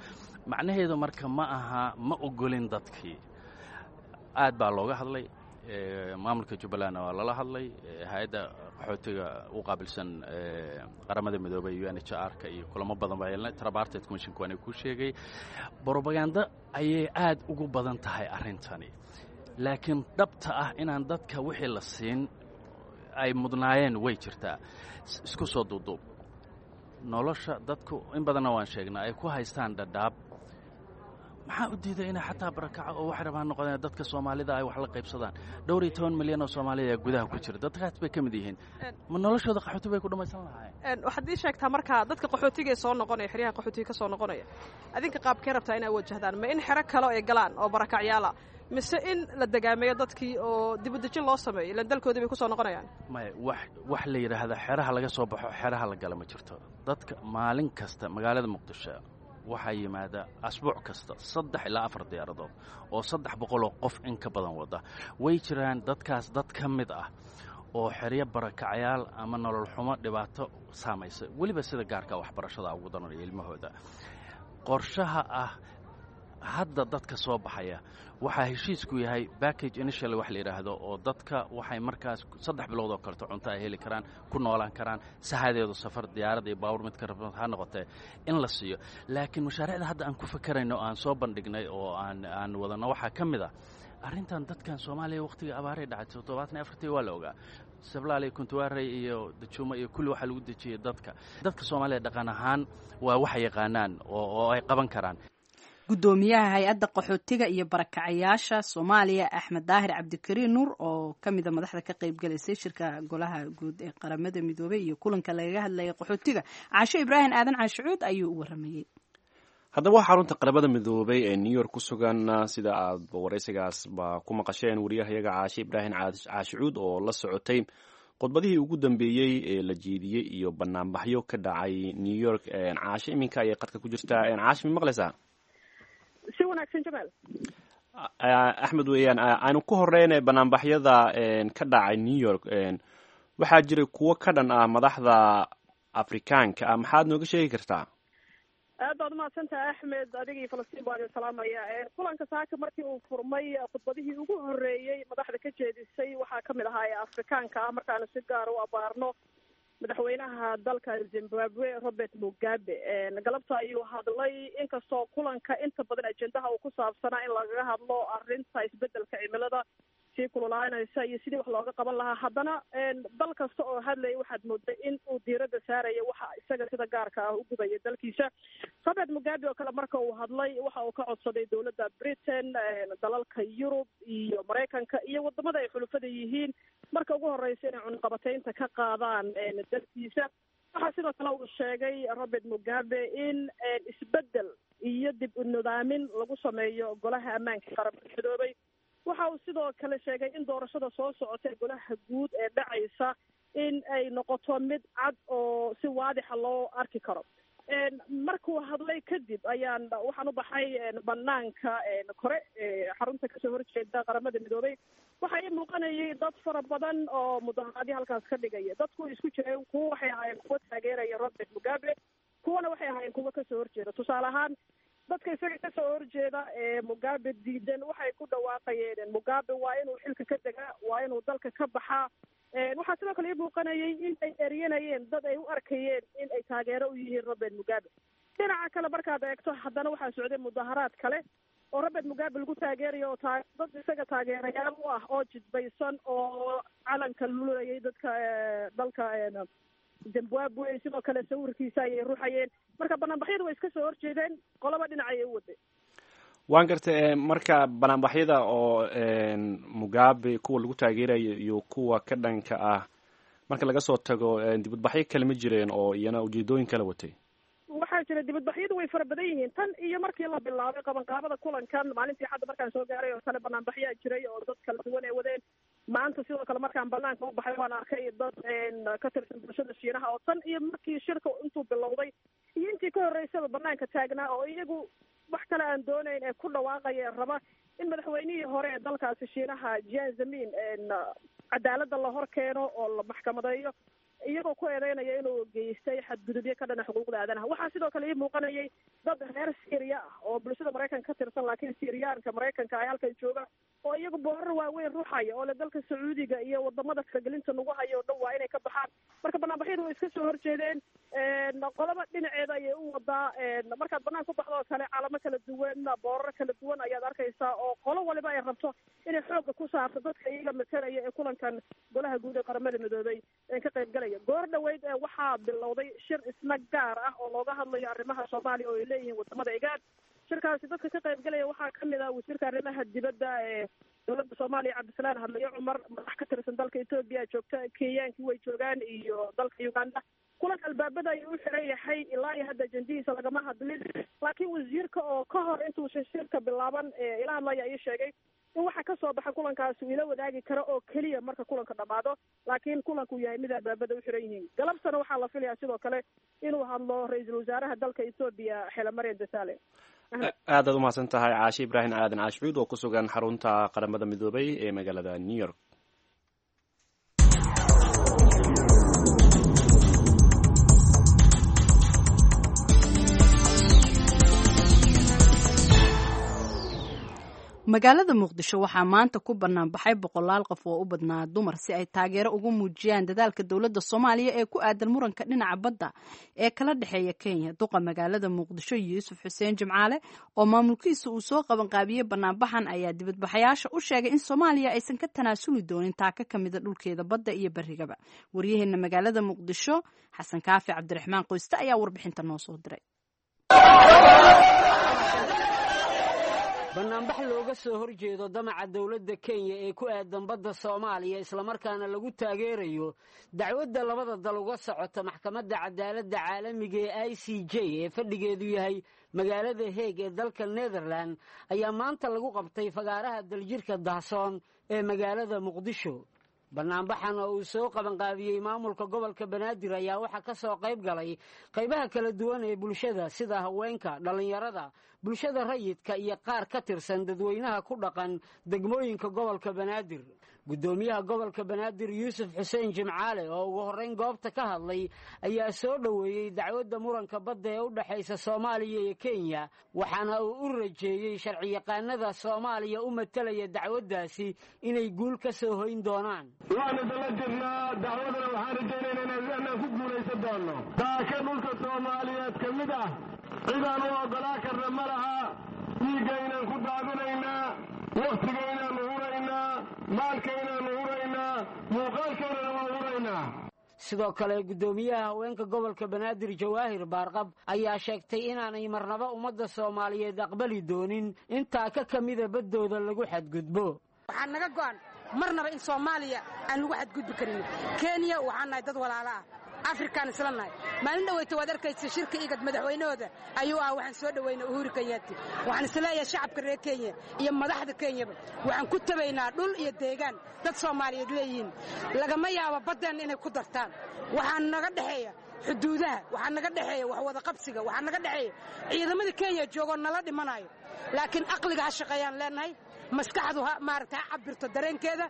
Speaker 4: Macnaheedu marka ma aha ma ogolin dadkii. Aad baa looga hadlay, maamulka Jubbalandna waa lala hadlay, hay-adda qaxootiga u qaabilsan Qaramada Midoobay U N H R ka iyo kulamo badan baa yeelnay. Tripartite Commissionka waana kuu sheegay. Brobaganda ayay aad ugu badan tahay arrintani, laakiin dhabta ah inaan dadka wixii la siin ay mudnaayeen way jirtaa. Isku soo duuduub, nolosha dadku in badanna waan sheegnaa ay ku haystaan Dhadhaab, maxaa u diiday inay xataa barakaco oo waxay rabaan noqdeen dadka Soomaalida ay wax la qaybsadaan? Dhowr iyo toban milyan oo Soomaalida ayaa gudaha ku jira, dadkaas bay ka mid yihiin. Ma noloshooda qaxooti bay ku dhammaysan lahaayeen?
Speaker 5: Waxaad ii sheegtaa marka dadka qaxootiga ee soo noqonaya, xeryaha qaxootiga ka soo noqonaya, adinka qaabkee rabtaa inay wajahdaan? Ma in xero kale ay galaan oo barakacyaala, mise in la degaameeyo dadkii oo dibudejin loo sameeyo, ilaan dalkoodii bay ku soo noqonayaan?
Speaker 4: Maya, wax wax la yidhaahda xeraha laga soo baxo, xeraha la gala ma jirto. Dadka maalin kasta magaalada Muqdisho waxaa yimaada asbuuc kasta saddex ilaa afar diyaaradood oo saddex boqoloo qof in ka badan wada. Way jiraan dadkaas dad ka mid ah oo xeryo barakacayaal ama nolol xumo dhibaato saamaysa, weliba sida gaarka waxbarashada ugu daranaya ilmahooda. Qorshaha ah hadda dadka soo baxaya waxaa heshiisku yahay package initial wax la yidhaahdo oo dadka waxay markaas saddex bilood oo kaleto cunto ay heli karaan, ku noolaan karaan, sahadeedu safar diyaarad iyo baawur mid ka ha noqotee in la siiyo. Laakiin mashaariicda hadda aan ku fakarayno, aan soo bandhignay oo aan aan wadanno waxaa ka mid ah arrintan dadkan Soomaaliya wakhtiga abaaray dhacay toddobaatan iyo afartii waa la ogaa, Sablaal iyo Kuntuwaarey iyo Dajuuma iyo kulli waxaa lagu dejiyey dadka. Dadka Soomaaliya dhaqan ahaan waa waxay yaqaanaan oo oo ay qaban karaan.
Speaker 1: Guddoomiyaha hay-adda qaxootiga iyo barakacayaasha Soomaaliya, Axmed Daahir Cabdikariin Nuur, oo ka mida madaxda ka qaybgalaysay shirka golaha guud ee Qaramada Midoobey iyo kulanka lagaga hadlayay qaxootiga, Caasho Ibraahim Aadan Caashicuud ayuu u waramayey.
Speaker 2: Haddaba waxaa xarunta Qaramada Midoobay ee New York ku sugan, sida aad waraysigaasba ku maqasheen, wariyahayaga Caashe Ibraahim Caashicuud oo la socotay khudbadihii ugu dambeeyey ee la jeediyey iyo banaanbaxyo ka dhacay New York. Caashe iminka ayay qadka ku jirtaa. Caashe, ma maqlaysaa?
Speaker 5: Si wanaagsan, Jamaal.
Speaker 2: Axmed weeyaan. Aynu ku horeyna banaanbaxyada ka dhacay New York. Waxaa jiray kuwo ka dhan ah madaxda Afrikaanka ah, maxaad nooga sheegi kartaa?
Speaker 5: Aad baad umahadsantaha Axmed, adiga iyo Falastiin baan idin salaamaya. Kulanka saaka markii uu furmay, khudbadihii ugu horreeyey madaxda ka jeedisay waxaa kamid ahaa ee Afrikaanka ah, markaanu si gaar u abaarno madaxweynaha dalka Zimbabwe Robert Mugabe. Galabta ayuu hadlay, inkastoo kulanka inta badan ajendaha uu ku saabsanaa in lagaga hadlo arrinta isbedelka cimilada sii kululaanaysa iyo sidii wax looga qaban lahaa, haddana dal kasta oo hadlaya waxaad mooday in uu diiradda saaraya waxa isaga sida gaarka ah u gubaya dalkiisa. Robert Mugabe oo kale marka uu hadlay waxa uu ka codsaday dowladda Britain, dalalka Yurub iyo Maraykanka iyo wadamada ay xulufada yihiin marka ugu horeysa inay cunqabateynta ka qaadaan dalkiisa. Waxaa sidoo kale uu sheegay Robert Mugabe in isbedel iyo dib u nidaamin lagu sameeyo golaha ammaanka qaramada midoobay. Waxa uu sidoo kale sheegay in doorashada soo socota ee golaha guud ee dhacaysa in ay noqoto mid cad oo si waadixa loo arki karo. Markuu hadlay kadib ayaan waxaan u baxay banaanka kore xarunta kasoo horjeeda Qaramada Midoobay. Waxaa ii muuqanayay dad fara badan oo mudaharaadyo halkaas ka dhigaya. Dadku isku jireen, kuwa waxay ahaayeen kuwa taageeraya Robert Mugabe, kuwana waxay ahaayeen kuwa kasoo horjeeda. Tusaale ahaan, dadka isaga kasoo horjeeda ee Mugabe diidan waxay ku dhawaaqayeen Mugabe waa inuu xilka ka degaa, waa inuu dalka ka baxaa. Waxaa sidoo kale ii muuqanayay in ay eryanayeen dad ay u arkayeen in ay taageero u yihiin Robert Mugabe. Dhinaca kale markaad eegto, haddana waxaa socday mudaharaad kale oo Robert Mugabe lagu taageerayo, oo taa dad isaga taageerayaal u ah oo jidbaysan oo calanka lulayay dadka dalka Zimbabwe, sidoo kale sawirkiisa ayay ruxayeen. Marka banaanbaxyadu way iska soo horjeedeen, qolaba dhinac ayay u waday.
Speaker 2: Waan gartay. Marka banaanbaxyada oo Mugabe kuwa lagu taageerayo iyo kuwa ka dhanka ah marka laga soo tago, dibadbaxyo kale ma jireen oo iyana ujeedooyin kala watay?
Speaker 5: Waxaa jira, dibadbaxyadu way fara badan yihiin. Tan iyo markii la bilaabay qabanqaabada kulankan maalintii xadda markaan soo gaaray oo kale banaanbaxyaa jiray oo dad kala duwan ay wadeen. Maanta sidoo kale markaan banaanka u baxay waan arkay dad ka tirsan bulshada Shiinaha oo tan iyo markii shirka intuu bilowday iyo intii ka horreysaba banaanka taagnaa, oo iyagu wax kale aan doonayn ee ku dhawaaqaya raba in madaxweynihii hore ee dalkaasi Shiinaha Jiang Zemin cadaaladda la hor keeno oo la maxkamadeeyo, iyagoo ku eedeynaya inuu geystay xadgudubyo ka dhana xuquuqda aadanaha. Waxaa sidoo kale ii muuqanayay dad reer Syria ah oo bulshada Maraykanka ka tirsan, laakiin Syriyaanka Maraykanka ay halkan jooga, oo iyagu boorar waaweyn ruxaya oo le dalka Sacuudiga iyo wadamada faragelinta nagu hayo o dhan waa inay ka baxaan. Marka banaanbaxyadu way iska soo horjeedeen, qolaba dhinaceeda ayay u wadaa. Markaad banaan ku baxdo oo kale calamo kala duwan, boorar kala duwan ayaad arkaysaa, oo qolo waliba ay rabto inay xoogga ku saarto dadka iyaga matalaya ee kulankan golaha guud ee Qaramada Midoobay ee ka qayb galaya. Goor dhaweyd waxaa bilowday shir isna gaar ah oo looga hadlayo arrimaha Soomaaliya oo ay leeyihiin wadamada IGAD. Shirkaasi dadka ka qayb galaya waxaa kamid ah wasiirka arrimaha dibadda ee dowladda Soomaaliya Cabdisalaan Hadlayo Cumar, madax ka tirsan dalka Etoobiya joogta, Kenyaankii way joogaan iyo dalka Uganda. Kulanka albaabada ayuu u xiran yahay, ilaa iyo hadda ajendihiisa lagama hadlin, laakiin wasiirka oo ka hor intuusan shirka bilaaban ila hadlaya ii sheegay in waxa kasoo baxa kulankaasi uu ila wadaagi karo oo keliya marka kulanka dhamaado, laakiin kulanku yahay mid albaabada u xiran yihiin. Galabtana waxaa la filayaa sidoo kale inuu hadlo ra-iisul wasaaraha dalka Etoobiya Xelemarian Desalegn.
Speaker 2: Aadaad umahadsan tahay Caashe Ibraahim Aadan Caashicuud oo ku sugan xarunta Qaramada Midoobay ee magaalada New York.
Speaker 1: Magaalada Muqdisho waxaa maanta ku bannaan baxay boqolaal qof oo u badnaa dumar si ay taageero ugu muujiyaan dadaalka dowladda Soomaaliya ee ku aadan muranka dhinaca badda ee kala dhexeeya Kenya. Duqa magaalada Muqdisho Yuusuf Xuseen Jimcaale oo maamulkiisa uu soo qabanqaabiyey banaanbaxan ayaa dibadbaxayaasha u sheegay in Soomaaliya aysan ka tanaasuli doonin taaka ka mida dhulkeeda badda iyo barrigaba. Waryaheena magaalada Muqdisho Xasan Kaafi Cabdiraxmaan Qoyste ayaa warbixinta noo soo diray.
Speaker 6: Banaanbax looga soo horjeedo damaca dowladda Kenya ee ku aadan badda Soomaaliya, islamarkaana lagu taageerayo dacwadda labada dal uga socota maxkamadda cadaaladda caalamiga ee I C J ee fadhigeedu yahay magaalada Heeg ee dalka Netherland, ayaa maanta lagu qabtay fagaaraha Daljirka Dahsoon ee magaalada Muqdisho. Banaanbaxan oo uu soo qabanqaabiyey maamulka gobolka Banaadir ayaa waxaa ka soo qayb galay qaybaha kala duwan ee bulshada, sida haweenka, dhallinyarada, bulshada rayidka iyo qaar ka tirsan dadweynaha ku dhaqan degmooyinka gobolka Banaadir. Guddoomiyaha gobolka Banaadir Yuusuf Xuseen Jimcaale oo ugu horrayn goobta ka hadlay ayaa soo dhoweeyey dacwadda muranka badda ee u dhexaysa Soomaaliya iyo Kenya, waxaana uu u rajeeyey sharciyaqaanada Soomaaliya u matalaya dacwaddaasi inay guul ka soo hoyn doonaan.
Speaker 7: Waanu dala jirnaa dacwadana, waxaan rajaynaynaa inaan ku guulaysan doonno. Daaka dhulka Soomaaliyeed ka mid ah cidaan u oggolaa karna ma laha. Dhiiggaynaan ku daadinaynaa, wakhtigaynaannu huraynaa, maalkaynaannu huraynaa, muuqaalkaynana waa huraynaa.
Speaker 6: Sidoo kale guddoomiyaha haweenka gobolka Banaadir Jawaahir Baarqab ayaa sheegtay inaanay marnaba ummadda Soomaaliyeed aqbali doonin intaa ka ka mida baddooda lagu xadgudbo.
Speaker 8: Waxaa naga go'an marnaba in Soomaaliya aan lagu xadgudbi karin. Kenya waxaan nahay dad walaalo ah, Afrikaan isla nahay. Maalin dhaweyta waad arkaysa shirka IGAD madaxweynahooda ayuu ah. Waxaan soo dhaweyna Uhuru Kenyaati. Waxaan isleeyahay shacabka reer Kenya iyo madaxda Kenyaba waxaan ku tabaynaa dhul iyo deegaan dad Soomaaliyeed leeyihiin. Lagama yaabo baddeenna inay ku dartaan. Waxaan naga dhexeeya xuduudaha, waxaa naga dhexeeya wax wada qabsiga, waxaa naga dhexeeya ciidamada Kenya joogoo nala dhimanayo. Laakiin aqliga ha shaqeeyaan leenahay, maskaxdu ha maaragta ha cabirto dareenkeeda.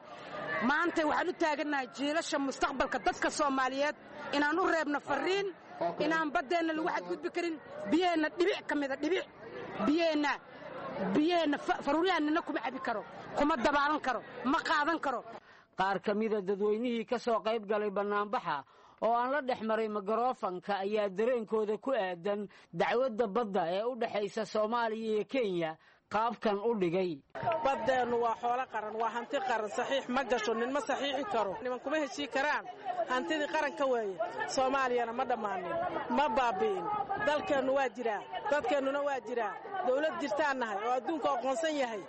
Speaker 8: Maanta waxaan u taagannahay jiilasha mustaqbalka dadka Soomaaliyeed inaan u reebno fariin inaan baddeenna lagu xadgudbi karin, biyaheenna dhibic ka mida, dhibic biyaheenna biyaheenna faruuryahan nina kuma cabi karo, kuma dabaalan karo, ma qaadan karo.
Speaker 6: Qaar ka mida dadweynihii ka soo qayb galay bannaanbaxa oo aan la dhex maray mikrofanka ayaa dareenkooda ku aadan dacwadda badda ee u dhexaysa Soomaaliya iyo Kenya qaabkan u dhigay.
Speaker 9: Baddeennu waa xoolo qaran, waa hanti qaran. Saxiix ma gasho, nin ma saxiixi karo, niman kuma heshii karaan. Hantidii qaranka weeye. Soomaaliyana ma dhammaanin, ma baabi'in. Dalkeennu waa jiraa, dadkeennuna waa jiraa. Dawlad jirtaan nahay oo adduunka aqoonsan yahay.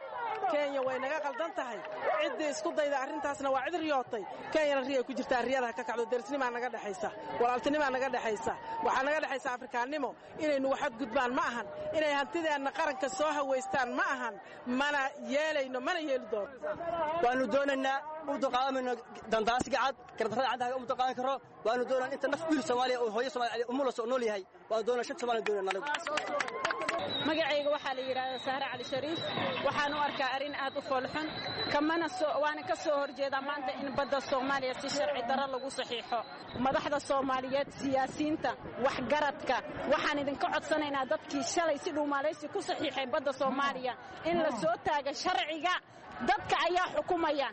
Speaker 9: Kenya way naga qaldan tahay. Ciddii isku dayda arrintaasna waa cid riyootay. Kenyana riyay ku jirtaa, riyadaha ka kacdo. Derisnimaa naga dhexaysa, walaaltinimaa naga dhexaysa, waxaa naga dhexaysa Afrikaannimo. Inay nugu xadgudbaan ma ahan, inay hantideenna qaranka soo hawaystaan ma ahan. Mana yeelayno, mana yeeli doono.
Speaker 10: Waanu doonaynaa u dulqaadanayno dandaasiga cad, gardarrada caddaha uma dulqaadan karo. Waanu doonaa inta naf wiil Soomaaliya oo hooyo Soomaaliya umulas oo nool yahay. Waanu doonaa shanta Soomaaliya doonaa anagu.
Speaker 11: Magacayga waxaa la yidhaahdaa Sahre Cali Shariif. Waxaan u arkaa arrin aad u foolxun, kamana soo waana ka soo horjeedaa maanta in badda Soomaaliya si sharci darro lagu saxiixo. Madaxda Soomaaliyeed, siyaasiyiinta, waxgaradka, waxaan idinka codsanaynaa dadkii shalay si dhuumaalaysi ku saxiixay badda Soomaaliya in la soo taaga sharciga. Dadka ayaa xukumaya.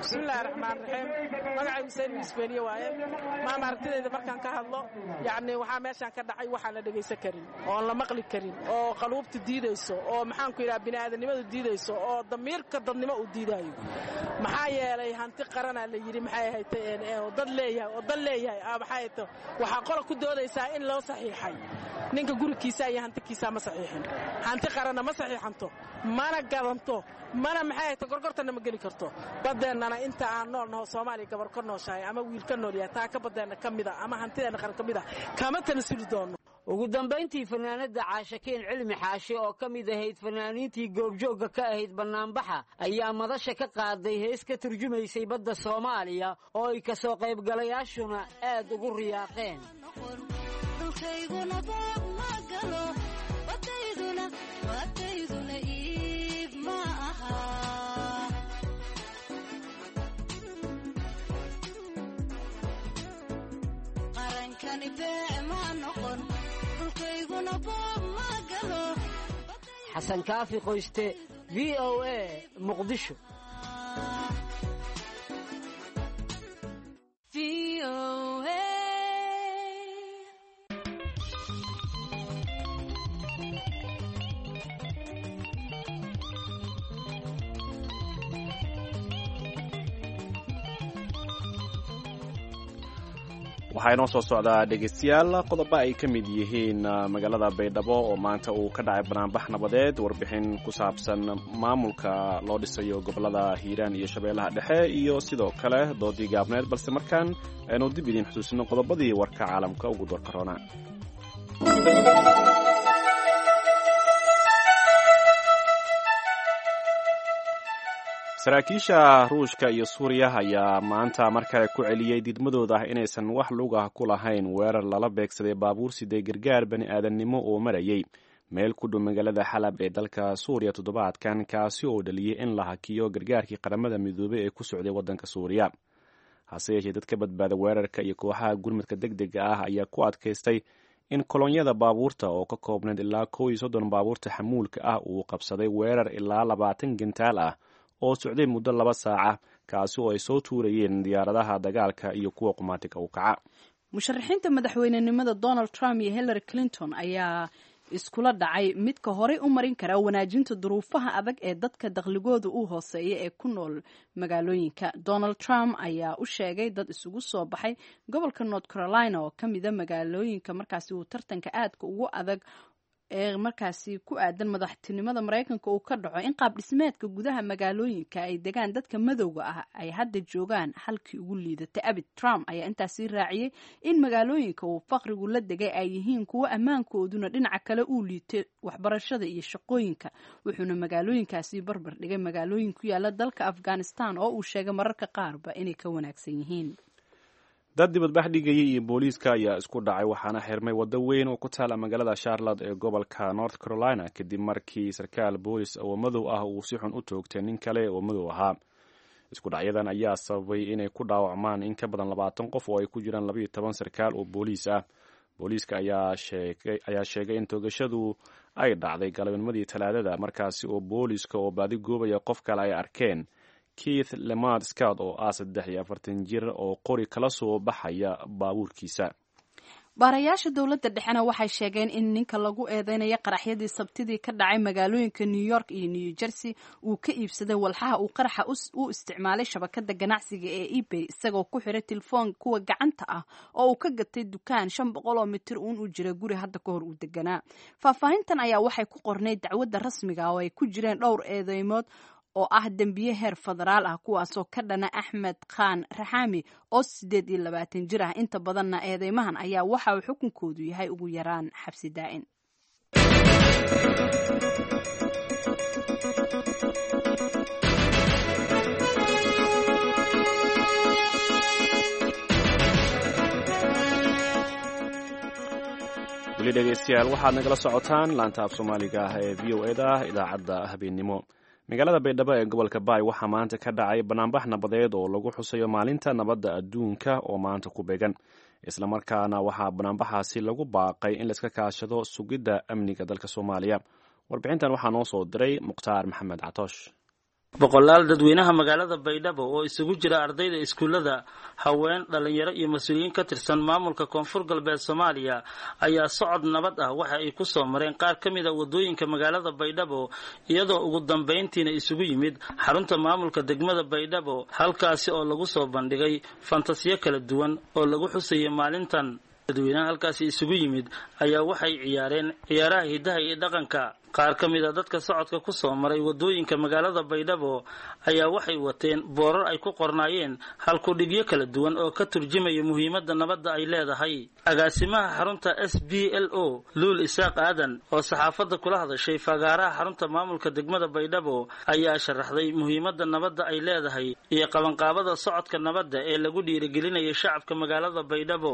Speaker 9: Bismillahi raxmaan raxiim. Magacay Xuseen Miisbeeniye waaye. Maama, aragtidayda markaan ka hadlo, yacni waxaa meeshaan ka dhacay waxaan la dhegaysan karin oon la maqli karin oo qaluubta diidayso oo maxaanku yidhaha bini'aadanimadu diidayso oo damiirka dadnimo uu diidaayo. Maxaa yeelay hanti qaranaa la yidhi, maxay ahayd, oo dad leeyahay oo dad leeyahay, maxay ahayd. Waxaa qola ku doodaysaa in loo saxiixay. Ninka gurigiisa iyo hantikiisa ma saxiixin. Hanti qaranna ma saxiixanto, mana gadanto, mana maxay ahayd, gorgortanna ma geli karto. Badeennana inta aan nool naho, Soomaaliya gabar ka nooshahay ama wiil ka nool yahay, taa ka baddeenna ka mida ama hantideenna qaran ka mid a kama tanasuli doono.
Speaker 6: Ugu dambayntii fanaanadda Caashakiin Cilmi Xaashi oo ka mid ahayd fanaaniintii goobjoogga ka ahayd bannaanbaxa ayaa madasha ka qaaday hees ka turjumaysay badda Soomaaliya oo ay ka soo qaybgalayaashuna aad ugu riyaaqeen. Xasan Kaafi Qoyste, V O A, Muqdisho.
Speaker 2: Waxaa inoo soo socdaa, dhegaystayaal, qodobo ay ka mid yihiin magaalada Baydhabo oo maanta uu ka dhacay banaanbax nabadeed, warbixin ku saabsan maamulka loo dhisayo gobollada Hiiraan iyo Shabeellaha Dhexe, iyo sidoo kale doodii gaabneed. Balse markaan aynu dib idiin xusuusino qodobadii warka caalamka ugu doorka roona. Saraakiisha Ruushka iyo Suuriya ayaa maanta mar kale ku celiyey diidmadooda ah inaysan wax lug ah ku lahayn weerar lala beegsaday baabuur siday gargaar bani aadamnimo oo marayay meel ku dhow magaalada Xalab ee dalka Suuriya toddobaadkan, kaasi oo dhaliyey in la hakiyo gargaarkii Qaramada Midoobey ee ku socday waddanka Suuriya. Hase yeeshee, dadka badbaada weerarka iyo kooxaha gurmadka deg dega ah ayaa ku adkaystay in kolonyada baabuurta oo ka koobnayd ilaa kow iyo soddon baabuurta xamuulka ah uu qabsaday weerar ilaa labaatan gantaal ah oo socday muddo laba saaca, kaasi oo ay soo tuurayeen diyaaradaha dagaalka iyo kuwa qumaatiga u kaca.
Speaker 1: Musharaxiinta madaxweynenimada Donald Trump iyo Hillary Clinton ayaa iskula dhacay midka horey u marin kara wanaajinta duruufaha adag ee dadka dakhligooda u hooseeya ee ku nool magaalooyinka. Donald Trump ayaa u sheegay dad isugu soo baxay gobolka North Carolina oo ka mida magaalooyinka markaasi uu tartanka aadka ugu adag ee markaasi ku aadan madaxtinimada Maraykanka uu ka dhaco in qaab dhismeedka gudaha magaalooyinka ay degaan dadka madowga ah ay hadda joogaan halkii ugu liidatay abid. Trump ayaa intaasi raaciyey in magaalooyinka uu faqrigu la degay ay yihiin kuwo ammaankooduna dhinaca kale uu liitay waxbarashada iyo shaqooyinka, wuxuuna magaalooyinkaasi barbar dhigay magaalooyin ku yaala dalka Afghanistan oo uu sheegay mararka qaarba inay ka wanaagsan yihiin.
Speaker 2: Dad dibadbax dhigayay iyo booliiska ayaa isku dhacay, waxaana xirmay waddo weyn oo ku taala magaalada Charlotte ee gobolka North Carolina, kadib markii sarkaal boolis oo madow ah uu si xun u toogtay nin kale oo madow ahaa. Isku dhacyadan ayaa sababay inay ku dhaawacmaan in ka badan labaatan qof oo ay ku jiraan labayo toban sarkaal oo booliis ah. Booliiska ayaa sheegay in toogashadu ay dhacday galabnimadii Talaadada, markaasi oo booliiska oo baadi goobaya qof kale ay arkeen Keith Lemard Scott oo ah saddex iyo afartan jir oo qori kala soo baxaya baabuurkiisa.
Speaker 1: Baarayaasha dowladda dhexena waxay sheegeen in ninka lagu eedeynaya qaraxyadii Sabtidii ka dhacay magaalooyinka New York iyo New Jersey uu ka iibsaday walxaha uu qaraxa u isticmaalay shabakada ganacsiga ee eBay, isagoo ku xiray telefoon kuwa gacanta ah oo uu ka gatay dukaan shan boqol oo mitir uun u jira guri hadda ka hor uu deganaa. Faahfaahintan ayaa waxay ku qornayd dacwadda rasmiga oo ay ku jireen dhowr eedeymood oo ah dembiye heer federaal ah, kuwaasoo ka dhana Axmed Khan Raxaami oo siddeed iyo labaatan jir ah. Inta badanna eedeymahan ayaa waxa uu xukunkoodu yahay ugu yaraan xabsi daa'in.
Speaker 2: Weli dhegeystayaal, waxaad nagala socotaan laanta af Soomaaliga ah ee V O E da, idaacadda habeennimo. Magaalada Baydhabo ee gobolka Baay waxaa maanta ka dhacay banaanbax nabadeed oo lagu xusayo maalinta nabadda adduunka oo maanta ku beegan, islamarkaana waxaa banaanbaxaasi lagu baaqay in laiska kaashado sugidda amniga dalka Soomaaliya. Warbixintan waxaa noo soo diray Mukhtaar Maxamed Catoosh.
Speaker 12: Boqolaal dadweynaha magaalada Baydhabo oo isugu jira ardayda iskuullada, haween, dhalinyaro iyo mas-uuliyiin ka tirsan maamulka Koonfur Galbeed Soomaaliya ayaa socod nabad ah waxa ay ku soo mareen qaar ka mid a waddooyinka magaalada Baydhabo, iyadoo ugu dambayntiina isugu yimid xarunta maamulka degmada Baydhabo, halkaasi oo lagu soo bandhigay fantasiyo kala duwan oo lagu xusayay maalintan. Dadweynaha halkaasi isugu yimid ayaa waxay ciyaareen ciyaaraha hidaha iyo dhaqanka. Qaar ka mid a dadka socodka ku soo maray waddooyinka magaalada Baydhabo ayaa waxay wateen boorar ay ku qornaayeen halkudhigyo kala duwan oo ka turjumaya muhiimadda nabadda ay leedahay. Agaasimaha xarunta S B L O, Luul Isaaq Aadan, oo saxaafadda kula hadashay fagaaraha xarunta maamulka degmada Baydhabo, ayaa sharaxday muhiimadda nabadda ay leedahay iyo qabanqaabada socodka nabadda ee lagu dhiirigelinayo shacabka magaalada Baydhabo.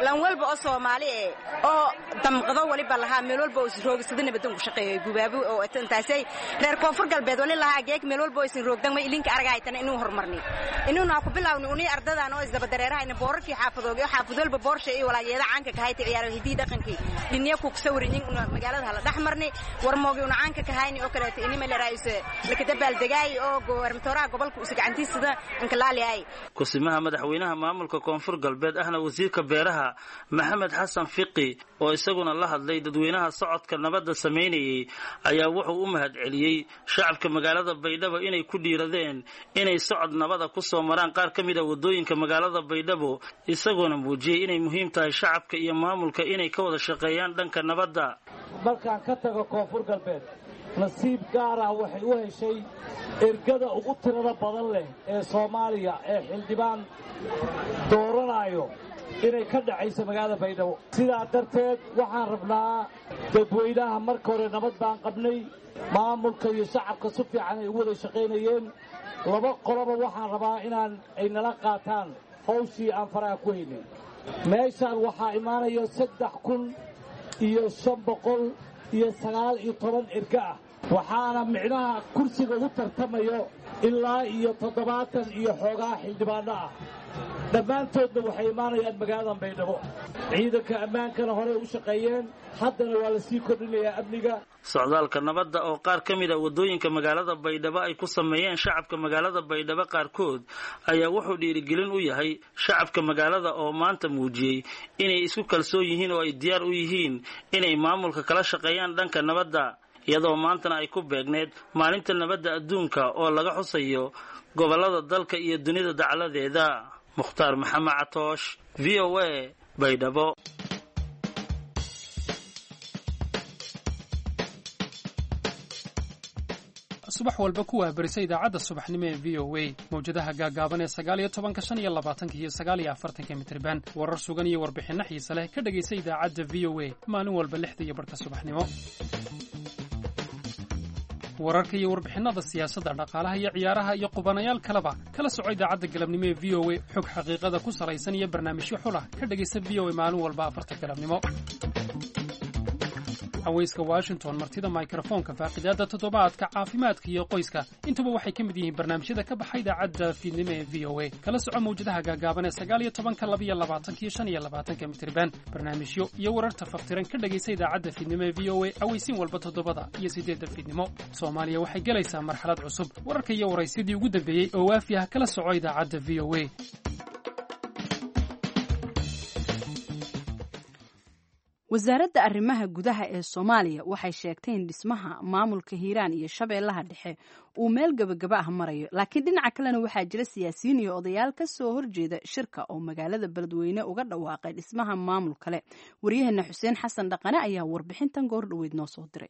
Speaker 8: Lan walba oo Soomaali eh oo damqado waliba lahaa meel walba oo isroogsada nabadan ku shaqeeyo gubaabo oo intaasay reer Koonfur Galbeed wali lahaa geek meel walba oo isin roogdan ma ilinka aragaytan inuu horumarnay inuuna ku bilaawni unii ardadan oo isdaba dareerahayna boorarkii xaafadooga xaafad walba boorsha iyo walaayeeda caanka ka hayta ciyaaro hidii dhaqankii dhinniya ku sawirinin una magaalada hala dhaxmarnay warmoogi una caanka ka hayni oo kaleeto inima la raayso lakadabaal degaay oo goormtooraha gobolka usu gacantiisada ankalaali ay.
Speaker 12: Kusimaha madaxweynaha maamulka Koonfur Galbeed ahna wasiirka beeraha Maxamed Xasan Fiqi oo isaguna la hadlay dadweynaha socodka nabadda sameynayay ayaa wuxuu u mahadceliyey shacabka magaalada Baydhabo inay ku dhiiradeen inay socod nabada ku soo maraan qaar ka mid a waddooyinka magaalada Baydhabo, isagoona muujiyey inay muhiim tahay shacabka iyo maamulka inay ka wada shaqeeyaan dhanka nabadda.
Speaker 13: Markaan ka tago Koonfur Galbeed, nasiib gaar ah waxay u heshay ergada ugu tirada badan leh ee Soomaaliya ee xildhibaan dooranayo inay ka dhacayso magaalada Baydhabo. Sidaa darteed waxaan rabnaa dadweynaha, marka hore nabad baan qabnay, maamulka iyo shacabka si fiican ay ugu wada shaqaynayeen. Laba qoloba waxaan rabaa inaan ay nala qaataan hawshii aan faraha ku haynay. Meeshaan waxaa imaanaya saddex kun iyo shan boqol iyo sagaal iyo toban erga ah. Waxaana micnaha kursiga ugu tartamayo ilaa iyo toddobaatan iyo xoogaa xildhibaanno ah. Dhammaantoodna waxay imaanayaan magaaladan Baydhabo. Ciidanka ammaankana horey u shaqeeyeen, haddana waa la sii kordhinayaa amniga.
Speaker 12: Socdaalka nabadda oo qaar ka mid a waddooyinka magaalada Baydhabo ay ku sameeyeen shacabka magaalada Baydhabo qaarkood ayaa wuxuu dhiirigelin u yahay shacabka magaalada oo maanta muujiyey inay isku kalsoon yihiin oo ay diyaar u yihiin inay maamulka kala shaqeeyaan dhanka nabadda, iyadoo maantana ay ku beegneed maalinta nabadda adduunka oo laga xusayo gobollada dalka iyo dunida dacladeeda. Mukhtaar Maxamed Catoosh, V O A, Baydhabo.
Speaker 14: Subax walba ku wahbarisa idaacadda subaxnimo ee V O A, mawjadaha gaagaaban ee sagaal iyo tobanka, shan iyo labaatanka iyo sagaal iyo afartanka mitirban. Warar sugan iyo warbixinno xiise leh ka dhegaysa idaacadda V O A maalin walba lixda iyo barhka subaxnimo. Wararka iyo warbixinnada siyaasadda, dhaqaalaha iyo ciyaaraha iyo qubanayaal kaleba kala soco idaacadda galabnimo ee V O A. Xog xaqiiqada ku salaysan iyo barnaamijyo xulah ka dhegaysa V O A maalin walba afarta galabnimo. Haweyska Washington, martida mikrofoonka, faaqidaadda toddobaadka, caafimaadka iyo qoyska, intuba waxay ka mid yihiin barnaamijyada ka baxa idaacadda fiidnimo ee V O A. Kala soco mawjadaha gaagaaban ee sagaal iyo tobanka, labiyo labaatanka iyo shan iyo labaatanka mitirban. Barnaamijyo iyo wararta faftiran ka dhegaysa idaacadda fiidnimo ee V O A aweysiin walba toddobada iyo siddeedda fiidnimo. Soomaaliya waxay gelaysaa marxalad cusub. Wararka iyo waraysyadii ugu dambeeyey oo waafi ah kala soco idaacadda V O A.
Speaker 1: Wasaaradda arrimaha gudaha ee Soomaaliya waxay sheegtay in dhismaha maamulka Hiiraan iyo Shabeellaha Dhexe uu meel gebagaba ah marayo, laakiin dhinaca kalena waxaa jira siyaasiyiin iyo odayaal ka soo horjeeda shirka oo magaalada Beledweyne uga dhawaaqay dhismaha maamul kale. Waryaheena Xuseen Xasan Dhaqane ayaa warbixintan goor dhoweyd noo soo diray.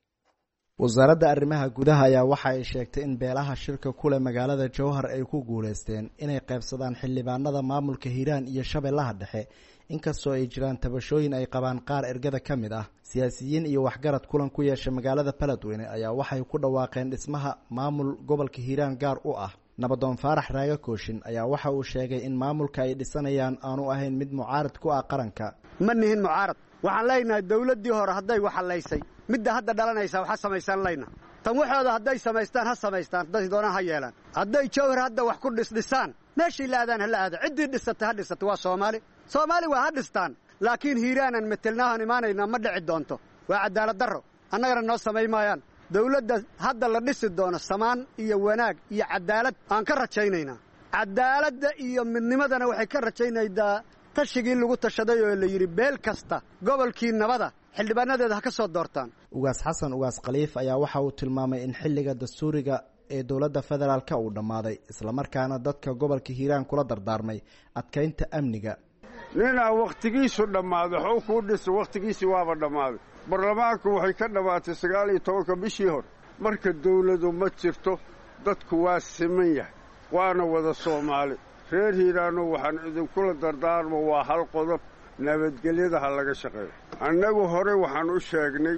Speaker 15: Wasaaradda arrimaha gudaha ayaa waxa ay sheegtay in beelaha shirka kule magaalada Jowhar ay ku guuleysteen inay qaybsadaan xildhibaanada maamulka Hiiraan iyo Shabeellaha Dhexe, inkastoo ay jiraan tabashooyin ay qabaan qaar ergada ka mid ah. Siyaasiyiin iyo waxgarad kulan ku yeesha magaalada Beledweyne ayaa waxay ku dhawaaqeen dhismaha maamul gobolka Hiiraan gaar u ah. Nabadoon Faarax Raaga Kooshin ayaa waxa uu sheegay in maamulka ay dhisanayaan aanu ahayn mid mucaarad ku ah qaranka.
Speaker 16: Ma nihin mucaarad, waxaan leenahay dowladdii hore hadday waxalaysay, midda hadda dhalanaysaa waxa samaysan layna tan waxooda hadday samaystaan ha samaystaan, hadday doonaan ha yeelaan, hadday Jowhar hadda wax ku dhisdhisaan meeshii la aadaan ha la aada, ciddii dhisatay ha dhisato, waa Soomaali, Soomaali waa ha dhistaan, laakiin Hiiraanan metelnaahan imaanaynaa ma dhici doonto, waa cadaalad darro, annagana noo samay maayaan. Dowladda hadda la dhisi doono samaan iyo wanaag iyo cadaalad aan ka rajaynaynaa, cadaaladda iyo midnimadana waxay ka rajaynaydaa tashigii lagu tashaday oo la yidhi beel kasta gobolkii nabada xildhibaanadeeda ha ka soo doortaan.
Speaker 15: Ugaas Xasan Ugaas Khaliif ayaa waxa uu tilmaamay in xilliga dastuuriga ee dowladda federaalka uu dhammaaday, islamarkaana dadka gobolka Hiiraan kula dardaarmay adkaynta amniga.
Speaker 17: Ninaa wakhtigiisu dhammaaday waxuu kuu dhisa, wakhtigiisii waaba dhammaaday. Baarlamaanku waxay ka dhammaatay sagaal iyo tobanka bishii hore. Marka dawladu ma jirto, dadku waa siman yahay, waana wada Soomaali. Reer Hiiraano waxaan idinkula dardaarmo waa hal qodob: nabadgelyada ha laga shaqeeyo. Annagu hore waxaan u sheegnay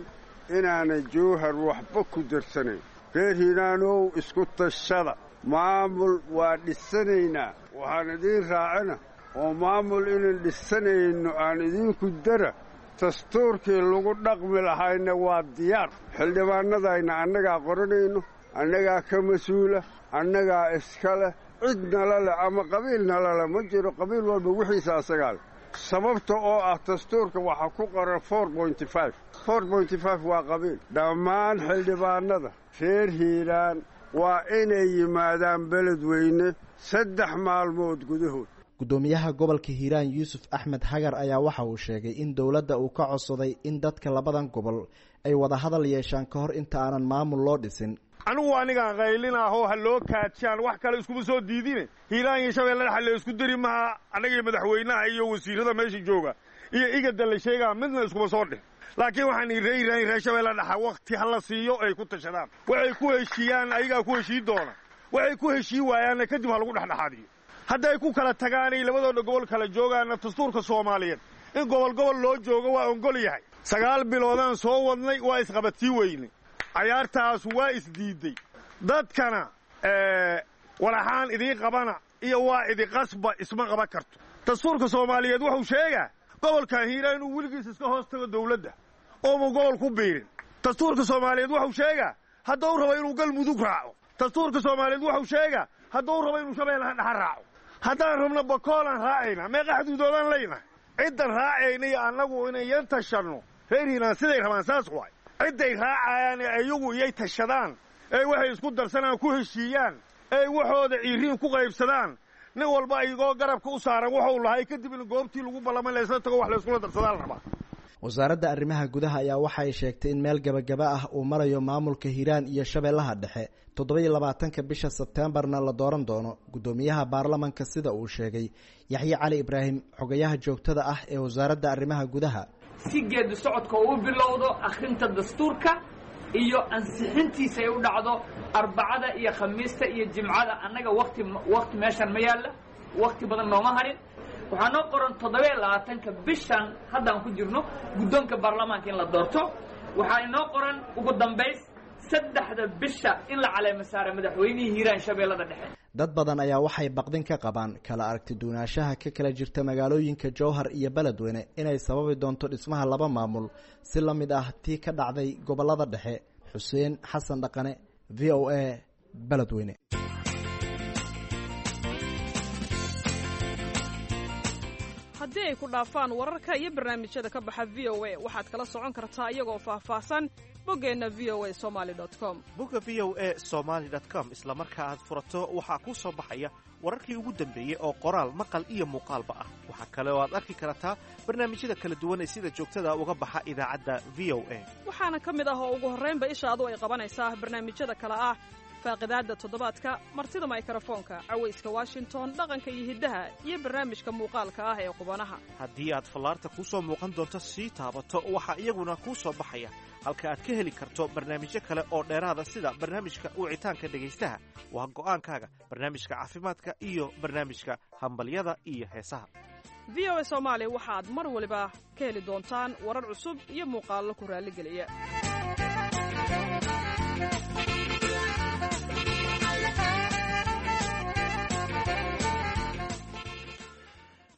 Speaker 17: inaanay Jowhar waxba ku darsanayn. Reer Hiiraanow, isku tashada, maamul waa dhisanaynaa. Waxaan idiin raacina oo maamul inaan dhisanayno aan idinku dara, dastuurkii lagu dhaqmi lahayna waa diyaar. Xildhibaannadayna annagaa qoranayno, annagaa ka mas-uula, annagaa iska leh, cid nala leh ama qabiil nala leh ma jiro, qabiil walba wixiisa asagaa leh. Sababta oo ah dastuurka waxaa ku qoran four pointy five, four pointy five waa qabiil. Dhammaan xildhibaanada reer Hiiraan waa inay yimaadaan Beledweyne saddex maalmood gudahood.
Speaker 15: Guddoomiyaha gobolka Hiiraan Yuusuf Axmed Hagar ayaa waxa uu sheegay in dowladda uu ka codsaday in dadka labadan gobol ay wada hadal yeeshaan ka hor inta aanan maamul loo dhisin.
Speaker 7: Anigu anigaan qaylinahoo ha loo kaajaan wax kale iskuma soo diidine. Hiiraan iyo Shabeelle Dhexe la isku diri maha, annaga iyo madaxweynaha iyo wasiirada meesha jooga iyo igada la sheegaa midna iskuma soo dhih. Laakiin waxaan reer Hiiraan iyo reer Shabeelle Dhexe wakhti ha la siiyo ay ku tashadaan, waxay ku heshiiyaan ayagaa ku heshii doona, waxay ku heshii waayaanna kadib ha lagu dhexdhexaadiyo. Hadday ku kala tagaanay labadooda gobol kala joogaana, dastuurka Soomaaliyeed in gobol gobol loo joogo waa ongol yahay. Sagaal biloodaan soo wadnay, waa isqabadsii weynay, cayaartaas waa isdiiday. Dadkana walaxaan idiin qabana iyo waa idiqasba isma qaban karto. Dastuurka Soomaaliyeed wuxuu sheegaa gobolkan Hiiraan inuu weligiis iska hoos tago dawladda ooma gobol ku biirin. Dastuurka Soomaaliyeed wuxuu sheegaa hadduu rabo inuu Galmudug raaco. Dastuurka Soomaaliyeed wuxuu sheegaa hadduu rabo inuu Shabeellaha dhexe raaco. Haddaan rabno Bakoolaan raacayna, meeqa xuduudoodaan leyna. Ciddan raacayna iyo annagu inayan tashanno, reer Hiiraan siday rabaan saas waay. Cidday raacayaan ee iyagu iyay tashadaan, ee waxay isku darsanaan ku heshiiyaan, ee waxooda ciiriin ku qaybsadaan, nin walba iyagoo garabka u saaran wuxuu lahay, kadib in goobtii lagu ballamay laysla tago, wax layskula darsadaa la rabaa.
Speaker 15: Wasaaradda arrimaha gudaha ayaa waxay sheegtay in meel gabagaba ah uu marayo maamulka Hiiraan iyo Shabeellaha Dhexe, toddoba-iyo labaatanka bisha Sebteembarna la dooran doono guddoomiyaha baarlamanka, sida uu sheegay Yaxye Cali Ibraahim, xogayaha joogtada ah ee wasaaradda arrimaha gudaha.
Speaker 18: Si geedi socodka uu bilowdo akhrinta dastuurka iyo ansixintiisa ay u dhacdo Arbacada iyo Khamiista iyo Jimcada, annaga waqti waqti meeshan ma yaalla, waqti badan nooma harin. Waxaa noo qoran toddoba-iyo labaatanka bishan haddaan ku jirno guddoonka baarlamaanka in la doorto. Waxaa inoo qoran ugu dambays saddexda bisha in la caleemo saaro madaxweynihii Hiiraan Shabeellada Dhexe.
Speaker 15: Dad badan ayaa waxay baqdin ka qabaan kala aragti duwanaanshaha ka kala jirta magaalooyinka Jowhar iyo Beledweyne inay sababi doonto dhismaha laba maamul si la mid ah tii ka dhacday gobollada dhexe. Xuseen Xasan Dhaqane, V O A, Beledweyne.
Speaker 5: Haddii ay ku dhaafaan wararka iyo barnaamijyada ka baxa V O A, waxaad kala socon kartaa iyagoo faahfaahsan boggeenna V O A Somali com.
Speaker 19: Bogga V O A Somaly com isla marka aad furato waxaa kuu soo baxaya wararkii ugu dambeeyey oo qoraal, maqal iyo muuqaalba ah. Waxaa kale oo aad arki kartaa barnaamijyada kala duwan ee sida joogtada uga baxa idaacadda V O A.
Speaker 5: Waxaana ka mid ah oo ugu horraynba ishaadu ay qabanaysaa barnaamijyada kale ah faaqidaadda toddobaadka, martida maykarafoonka, cawayska Washington, dhaqanka iyo hiddaha, iyo barnaamijka muuqaalka ah ee qubanaha.
Speaker 19: Haddii aad fallaarta kuu soo muuqan doonto sii taabato, waxaa iyaguna kuu soo baxaya halka aad ka heli karto barnaamijyo kale oo dheeraada, sida barnaamijka wicitaanka dhegaystaha, waa go'aankaaga, barnaamijka caafimaadka iyo barnaamijka hambalyada iyo heesaha.
Speaker 5: V O A Soomaali waxaad mar waliba ka heli doontaan warar cusub iyo muuqaallo ku raalligeliya.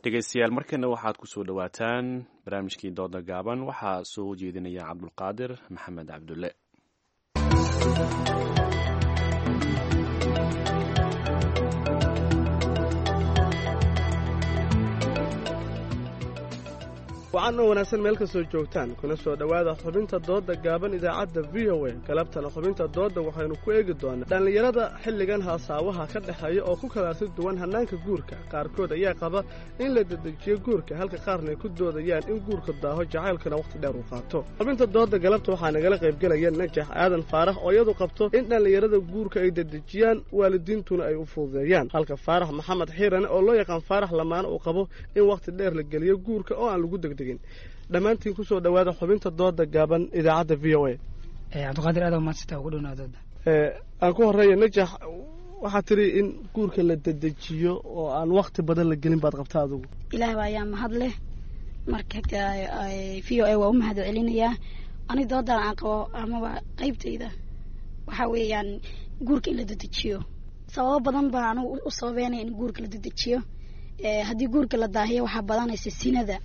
Speaker 2: Dhegeystayaal, markana waxaad ku soo dhowaataan barnaamijkii dooda gaaban. Waxaa soo jeedinaya Cabdulqaadir Maxamed Cabdulle.
Speaker 20: Wacan oo wanaagsan meel kastoo joogtaan, kuna soo dhowaada xubinta doodda gaaban idaacadda V O A. Galabtana xubinta doodda waxaynu ku eegi doonaa dhallinyarada xilligan haasaawaha ka dhexeeya oo ku kala arti duwan hannaanka guurka. Qaarkood ayaa qaba in la dedejiyo guurka, halka qaarna ay ku doodayaan in guurka daaho, jacaylkuna wakhti dheer uu qaato. Xubinta doodda galabta waxaa nagala qaybgelaya Najax Aadan Faarax oo iyadu qabto in dhallinyarada guurka ay dedejiyaan, waalidiintuna ay u fududeeyaan, halka Faarax Maxamed Xiirane oo loo yaqaan Faarax Lamaane uu qabo in wakhti dheer la geliyo guurka oo aan lagu degdegin. Dhammaantiin kusoo dhowaada xubinta dooda gaaban idaacadda V O A.
Speaker 21: Cabdiqaadir, aad mahadsanta, ugu dhownaa dooda.
Speaker 20: Aan ku horeeya Najax, waxaa tiri in guurka la dedejiyo oo aan wakti badan la gelin baad qabta adigu.
Speaker 22: Ilaah baa ayaa mahad leh. Marka V O A waa u mahad celinayaa. Ani doodan aan qabo amaba qaybtayda waxaa weeyaan guurka in la dedejiyo. Sababo badan baa anigu u sababeynaya in guurka la dedejiyo. Haddii guurka la daahiyo waxaa badanaysa sinada,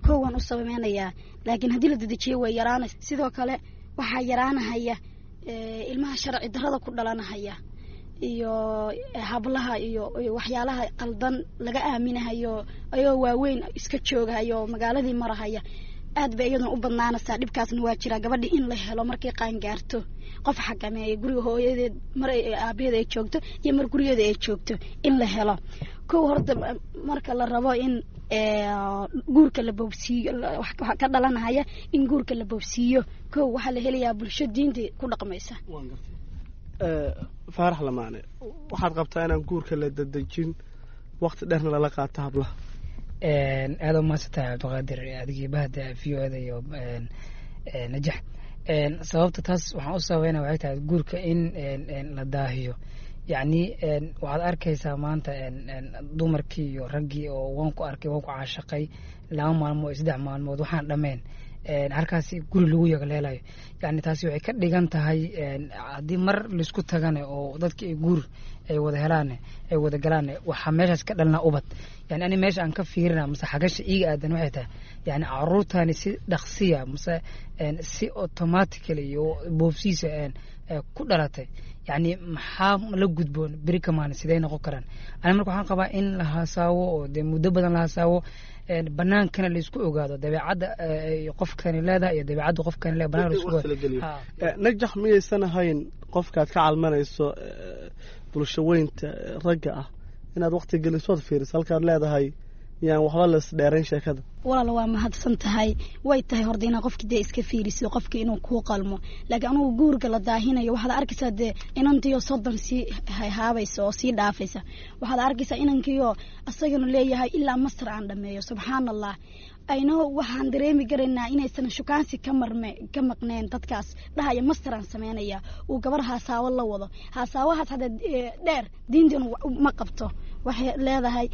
Speaker 22: kow waan u sababeynayaa, laakiin haddii la dedejiyo way yaraanaysa. Sidoo kale waxaa yaraanahaya ilmaha sharci darrada ku dhalanahaya iyo hablaha iyo waxyaalaha qaldan laga aaminahayo ayagoo waaweyn iska joogahayo magaaladii marahaya. Aad bay iyaduna u badnaanaysaa, dhibkaasna waa jiraa. Gabadhi in la helo markay qaangaarto qof xakameeya guriga hooyadeed mar aabaheed ay joogto iyo mar gurigeeda ay joogto in la helo. Kow horta marka la rabo in guurka la boobsiiyo, waxa ka dhalanahaya in guurka la boobsiiyo, kow waxaa la helayaa bulsho diinta ku dhaqmaysa.
Speaker 20: Faarax Lamaane, waxaad qabtaa inaan guurka la dedejin, wakti dheerna lala qaato hablaha.
Speaker 21: Aada umahadsantahay Cabdiqaadir, adigii bahda V O ada iyo Najax. Sababta taas waxaan u sababeynaya waxay tahay guurka in la daahiyo, yacni waxaad arkaysaa maanta dumarkii iyo raggii oo waan ku arkay, waan ku caashaqay, laba maalmood iyo saddex maalmood waxaan dhammayn Halkaasi guri lagu yagleelayo, yani taasi waxay ka dhigan tahay haddii mar laisku tagane oo dadka ay guur ay wada helaan, ay wada galaan, waxaa meeshaas ka dhalnaa ubad. Yani ani meesha aan ka fiirina mase xagasha iiga aadan waxay tahay, yani caruurtani si dhaqsiya mase si automatically iyo boobsiisa ku dhalatay, yani maxaa la gudboon beri kamaana, sidee noqon karaan? Ani marka waxaan qabaa in la hasaawo oo dee muddo badan la hasaawo, banaankana laisku ogaado dabeecadda qofkani leedahay iyo dabeecadda qofkani leedahay, banaanka laisku ogaado.
Speaker 20: Najax, miyaysan ahayn qofkaad ka calmanayso bulsho weynta ragga ah inaad waqti gelisood fiiriso halkaad leedahay yaan waxba las dheerayn sheekada?
Speaker 22: Walaal, waa mahadsan tahay. Way tahay horta inaad qofki dee iska fiiriso qofki inuu kuu qalmo, laakiin anugu guurka la daahinayo waxaad arkaysaa dee inantiyo soddon sii haabaysa oo sii dhaafaysa, waxaad arkaysaa inankiyo asagana leeyahay ilaa masar aan dhameeyo. Subxaan Allah, ayno waxaan dareemi karaynaa inaysan shukaansi ka marme ka maqneen dadkaas dhahaya master aan sameynaya uu gabar haasaawo la wado. Haasaawahaas hadda dheer diintanu ma qabto. Waxay leedahay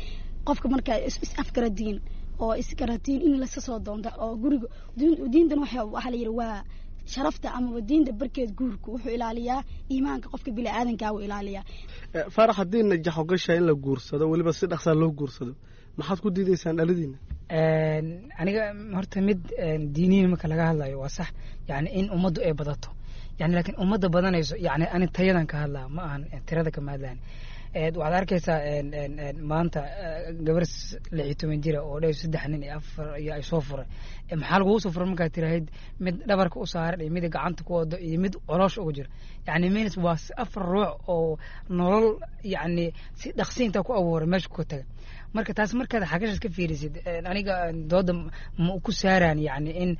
Speaker 22: qofka markaa is afgaradiin oo isgaratiin in laska soo doonto oo guriga. Diintan waxaa la yidhi waa sharafta amaba diinta barkeed. Guurku wuxuu ilaaliyaa iimaanka qofka bini-aadankaa uu ilaaliyaa.
Speaker 20: Faarax, haddii Najax ogashaa in la guursado, weliba si dhaqsaa loo guursado, maxaad ku diidaysaan dhaladiina?
Speaker 21: Aniga horta mid diiniyin marka laga hadlayo waa sax, yani in ummaddu ay badato, yani laakiin ummadda badanayso, yani ani tayadan ka hadlaa, ma ahan tirada kama hadlaan. Waxaad arkaysaa maanta gabar lix iyo toban jira oo dheh saddex nin iyo afar iyo ay soo furay. Maxaa lagugu soo furay markaad tirahayd? Mid dhabarka u saaran iyo mid gacanta ku wado iyo mid coloosha uga jira, yani means waa afar ruux oo nolol yani si dhaqsi intaa ku abuuray meesha ku taga. Marka taas markaad xagashaas ka fiirisid, aniga dooda ma ku saaraan yani in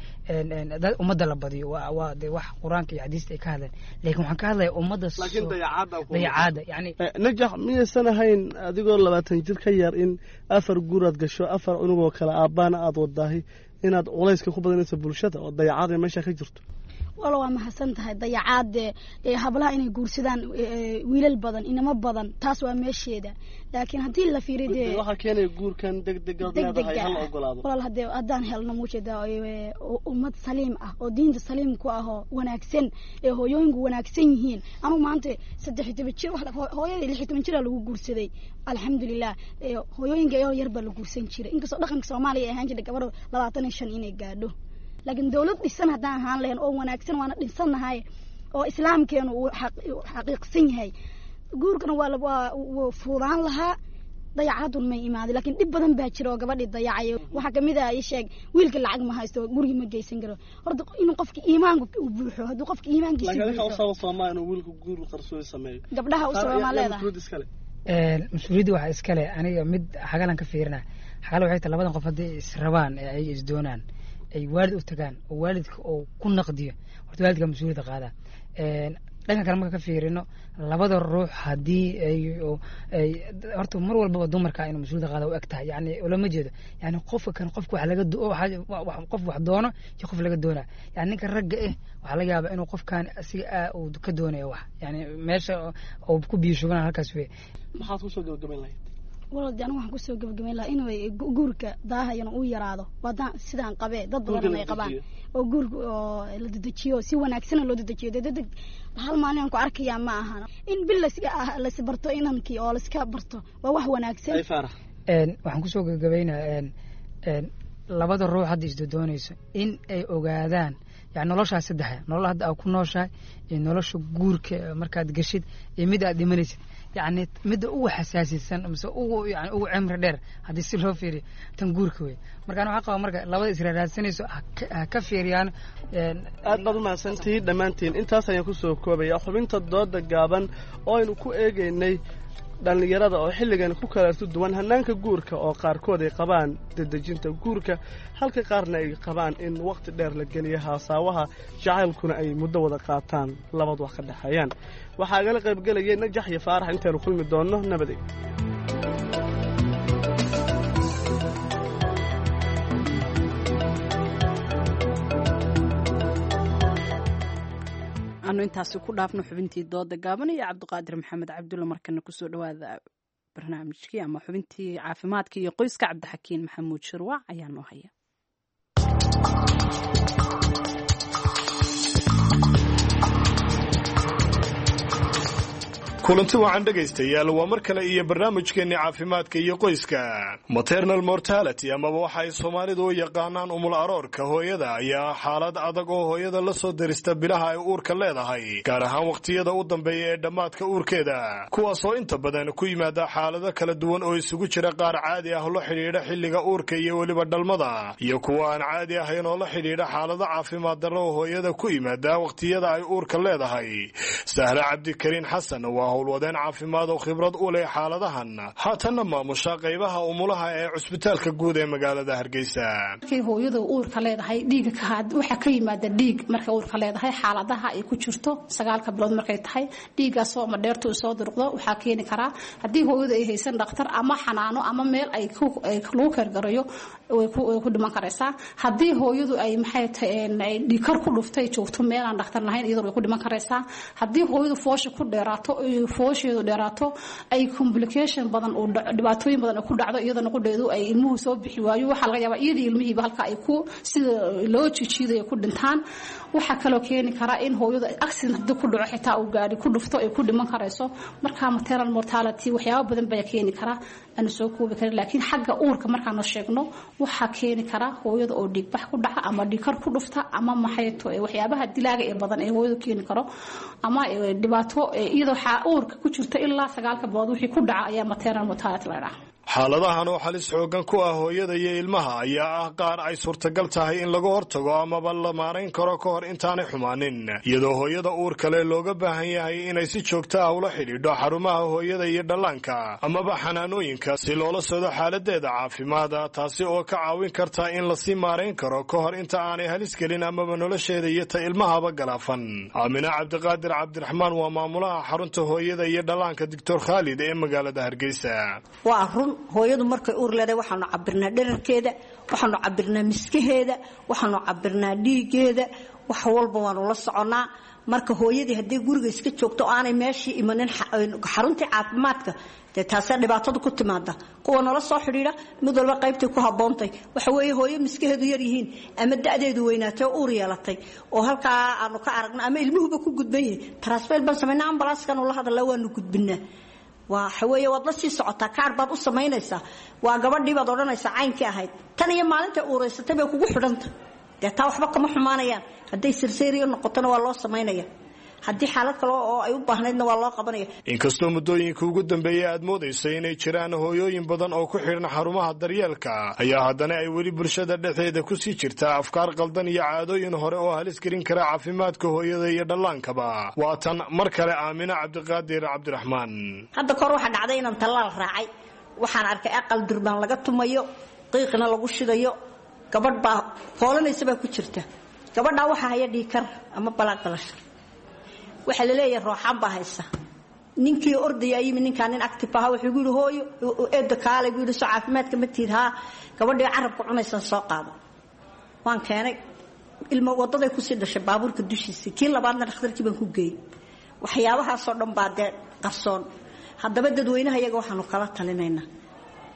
Speaker 21: dad ummadda la badiyo, waa waa de wax Qur-aanka iyo xadiista ay ka hadleen, laakiin waxaan ka hadlaya ummadda
Speaker 20: laakiin dayacaadda
Speaker 21: dayacaadda yani.
Speaker 20: Najax, miyaysan ahayn adigoo labaatan jir ka yar in afar guur aad gasho, afar cunugoo kale aabbaana aad wadaahi, inaad culayska ku badanayso bulshada oo dayacaada meesha ka jirto?
Speaker 22: Wala, waa mahadsan tahay. Dayacaade hablaha inay guursadaan wiilal badan, inamo badan, taas waa meesheeda, laakiin haddii la fiiriyo dee
Speaker 20: waxaa keenaya guurkan degdegaad leedahay hala ogolaado.
Speaker 22: Walaal, hadee haddaan helno muujeeda ummad saliim ah oo diinta saliim ku ah oo wanaagsan ee hooyooyinku wanaagsan yihiin. Anugu maanta saddex iyo toban jir, hooyadii lix iyo toban jira lagu guursaday, alxamdulilah. Hooyooyinka iyadoo yar baa la guursan jiray, inkastoo dhaqanka Soomaaliya ay ahaan jirtay gabadho labaatan iyo shan inay gaadho, laakiin dawlad dhisan haddaan ahaan lahayn oo wanaagsan, waana dhinsannahay oo islaamkeenu uu xaqiiqsan yahay, guurkana waa waa fuudaan lahaa, dayacaadun may imaaday. Laakiin dhib badan baa jira oo gabadhii dayacaya. Waxaa kamid ah, ii sheeg, wiilka lacag ma haysto, gurigi ma geysan karo. Horta inuu qofka iimaanku uu buuxo, hadduu qofka iimaankiisa
Speaker 20: laakiin adinka usaba soomaa inuu wiilku guur qarsoodi sameeyo?
Speaker 22: Gabdhaha u sababaa leedahay.
Speaker 21: Mas-uuliyadda waxaa iskale. Aniga mid xagalan ka fiirina, xagala waxay tahay labadan qof hadday israbaan ee ay isdoonaan, ay waalid u tagaan oo waalidka oo ku naqdiyo, horta waalidka mas-uuliyadda qaadaa. Dhanka kale marka ka fiirino, labada ruux haddii ay ay horta mar walbaba dumarka inuu mas-uuliyadda qaada u eg tahay, yani ulama jeedo, yani qofka kan qofka wax laga qof wax doono iyo qof laga doonaa, yani ninka ragga eh waxaa laga yaabaa inuu qofkan asiga uu ka doonayo wax, yani meesha uu ku biyo shubana halkaas wey.
Speaker 20: Maxaad kusoo gabagabayn lahayd?
Speaker 22: Walaal, de anigu waxaan kusoo gabagabayn lahaa inuu guurka daahayana uu yaraado, waadaan sidaan qabee dad badan ay qabaan oo guurka oo la dedejiyo, si wanaagsana loo dedejiyo. Dee degdeg hal maalin aan ku arkayaa ma ahan, in bil las lasbarto inankii oo laska barto waa wax wanaagsan.
Speaker 21: Waxaan kusoo gabagabaynaa labada ruux hadda isdodoonayso in ay ogaadaan, yani noloshaas saddexa nolol hadda aad ku nooshahay iyo nolosha guurka markaad geshid iyo mid aad dhimanaysid, yacni midda ugu xasaasisan mise ugu yani ugu cimri dheer haddii si loo fiiriyo tan guurka wey. Marka ana waxaa qaba marka labada israaraadsanayso ha ka fiiriyaan.
Speaker 20: Aad baad u mahadsantihiin dhammaantiin. Intaas ayaan kusoo koobaya xubinta dooda gaaban oo aynu ku eegaynay dhallinyarada oo xilligan ku kala duwan hannaanka guurka, oo qaarkood ay qabaan dedejinta guurka, halka qaarna ay qabaan in wakhti dheer la geliyo haasaawaha jacaylkuna ay muddo wada qaataan labad wax ka dhexeeyaan. Waxaa igala qaybgelayay Najax iyo Faarax. Intaynu kulmi doonno, nabadey.
Speaker 1: Aanu intaasi ku dhaafno xubintii dooda gaaban iyo Cabdiqaadir Maxamed Cabdulla. Markana kusoo dhawaada barnaamijkii ama xubintii caafimaadka iyo qoyska. Cabdixakiin Maxamuud Shirwac ayaa noo haya.
Speaker 3: Kulanti wacan dhegaystayaal, waa mar kale iyo barnaamijkeenni caafimaadka iyo qoyska. Maternal mortality, amaba waxa ay Soomaalidu u yaqaanaan umul aroorka hooyada, ayaa xaalad adag oo hooyada la soo derista bilaha ay uurka leedahay, gaar ahaan wakhtiyada u dambeeya ee dhammaadka uurkeeda, kuwaasoo inta badan ku yimaada xaalado kala duwan oo isugu jira qaar caadi ah oo la xidhiidha xilliga uurka iyo weliba dhalmada, iyo kuwa aan caadi ahayn oo la xidhiidha xaalado caafimaad darro oo hooyada ku yimaada wakhtiyada ay uurka leedahay. Sahre Cabdikariin Xasan waa howlwadeen caafimaad oo khibrad u leh xaaladahan, haatanna maamusha qaybaha umulaha ee cusbitaalka guud ee magaalada Hargeysa.
Speaker 4: Markay hooyadu uurka leedahay, dhiiga waxaa ka yimaada dhiig markay uurka leedahay, xaaladaha ay ku jirto sagaalka bilood markay tahay, dhiiggaasoo ama dheertu soo durqdo waxaa keeni karaa haddii hooyadu ay haysan dhakhtar ama xanaano ama meel ay lagu keergarayo, way ku dhiman karaysaa. Haddii hooyadu ay maxay tahay dhiigkar ku dhuftay, joogto meel aan dhakhtar lahayn, iyadoo way ku dhiman karaysaa. Haddii hooyadu foosha ku dheeraato, foosheedu dheeraato, ay complication badan oo dhibaatooyin badan ku dhacdo, iyadana qudheedu ay ilmuhu soo bixi waayo, waxaa laga yaabaa iyadii ilmihiiba halka ay ku sida loo jijiidayo ku dhintaan. Waxaa kaloo keeni karaa in hooyadu accident haddii ku dhaco, xitaa uu gaari ku dhufto, ay ku dhiman karayso. Marka maternal mortality waxyaabo badan baa keeni karaa aanu soo koobi karin, laakiin xagga uurka markaanu sheegno, waxaa keeni karaa hooyada oo dhiigbax ku dhaca ama dhiigkar ku dhufta ama maxayto waxyaabaha dilaaga ee badan ee hooyadu keeni karo ama dhibaato iyadoo waxaa uurka ku jirta ilaa sagaalka bilood wixii ku dhaca ayaa maternal mortality la dhahaa.
Speaker 3: Xaaladahan oo halis xooggan ku ah hooyada iyo ilmaha ayaa ah qaar ay suurtagal tahay in laga hortago amaba la maarayn karo ka hor intaanay xumaanin, iyadoo hooyada uur kale looga baahan yahay inay si joogto ah ula xidhiidho xarumaha hooyada iyo dhallaanka amaba xanaanooyinka si loola socdo xaaladeeda caafimaada, taasi oo ka caawin karta in lasii maarayn karo ka hor inta aanay halis gelin amaba nolosheeda iyo ta ilmahaba galaafan. Aamina Cabdiqaadir Cabdiraxmaan waa maamulaha xarunta hooyada iyo dhallaanka Doctor Khaalid ee magaalada Hargeysa.
Speaker 23: Waa run, hooyadu markay uur leedahay waxaanu cabirnaa dherarkeeda, waxaanu cabirnaa miskaheeda, waxaanu cabirnaa dhiigeeda, wax walba waanu la soconnaa. Marka hooyadii haddii guriga iska joogto oo aanay meeshii imanin xaruntii caafimaadka, dee taasaa dhibaatada ku timaada. Kuwa nala soo xidhiidha mid walba qaybtay ku habboontay waxa weeye hooyo miskaheedu yar yihiin ama da'deedu weynaatay oo uur yeelatay oo halkaa aanu ka aragno ama ilmuhuba ku gudban yihin, transfer baan samaynaa, ambalaaskan ula hadalaa, waanu gudbinaa. Waxa weeye waad la sii socotaa, kaar baad u samaynaysaa, waa gabadhii baad odhanaysaa caynkii ahayd tan iyo maalinta uuraysatay bay kugu xidhanta. Dee taa waxba kama xumaanayaan, hadday sirseeriyo noqotona waa loo samaynaya, haddii xaalad kale oo ay u baahnaydna waa loo qabanaya.
Speaker 3: Inkastoo muddooyinka ugu dambeeyey aad moodaysa inay jiraan hooyooyin badan oo ku xidhan xarumaha daryeelka, ayaa haddana ay weli bulshada dhexdeeda kusii jirtaa afkaar qaldan iyo caadooyin hore oo halis gelin kara caafimaadka hooyada iyo dhallaankaba. Waa tan mar kale Aamina Cabdiqaadir Cabdiraxmaan.
Speaker 23: Hadda kahor waxaa dhacday inaan tallaal raacay. Waxaan arkay aqal durbaan laga tumayo, qiiqna lagu shidayo, gabadh baa foolanaysa baa ku jirta. Gabadhaa waxaa haya dhiikar ama balaaq balasha, waxaa la leeyahay rooxaan baa haysa. Ninkii ordaya yimi, ninkaa nin active ahaa, wuxuu yidhi hooyo eedda kaale buu yidhi, soo caafimaadka ma tiid? Haa. Gabadhii carabka cunaysan soo qaado. Waan keenay, ilmo wadaday kusii dhashay baabuurka dushiisa. Kii labaadna dhakhtarkii baan ku geeyey. Waxyaabahaasoo dhan baa dee qarsoon. Haddaba dadweynaha iyaga waxaanu kala talinaynaa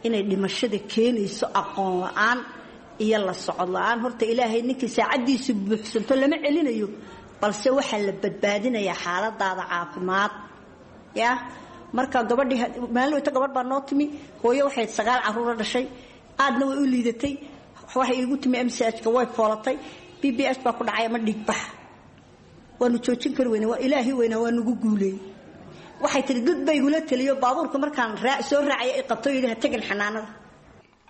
Speaker 23: inay dhimashada keenayso aqoon la-aan iyo la socod la-aan. Horta Ilaahay ninkii saacaddiisu buuxsanto lama celinayo, balse waxaa la badbaadinayaa xaaladaada caafimaad ya. Marka gabadhii maalin wayta gabadh baa noo timi, hooyo waxay sagaal caruura dhashay, aadna way u liidatay. Waxay iigu timi M C H-ka, way foolatay, B B H baa ku dhacay ama dhiigbax. Waanu joojin kari weyne, waa Ilaahi weynaa waa nagu guuleeyey. Waxay tihi dad bay igula teliyo baabuurka markaan soo raacaya i qabto, yidhi ha tegin xanaanada.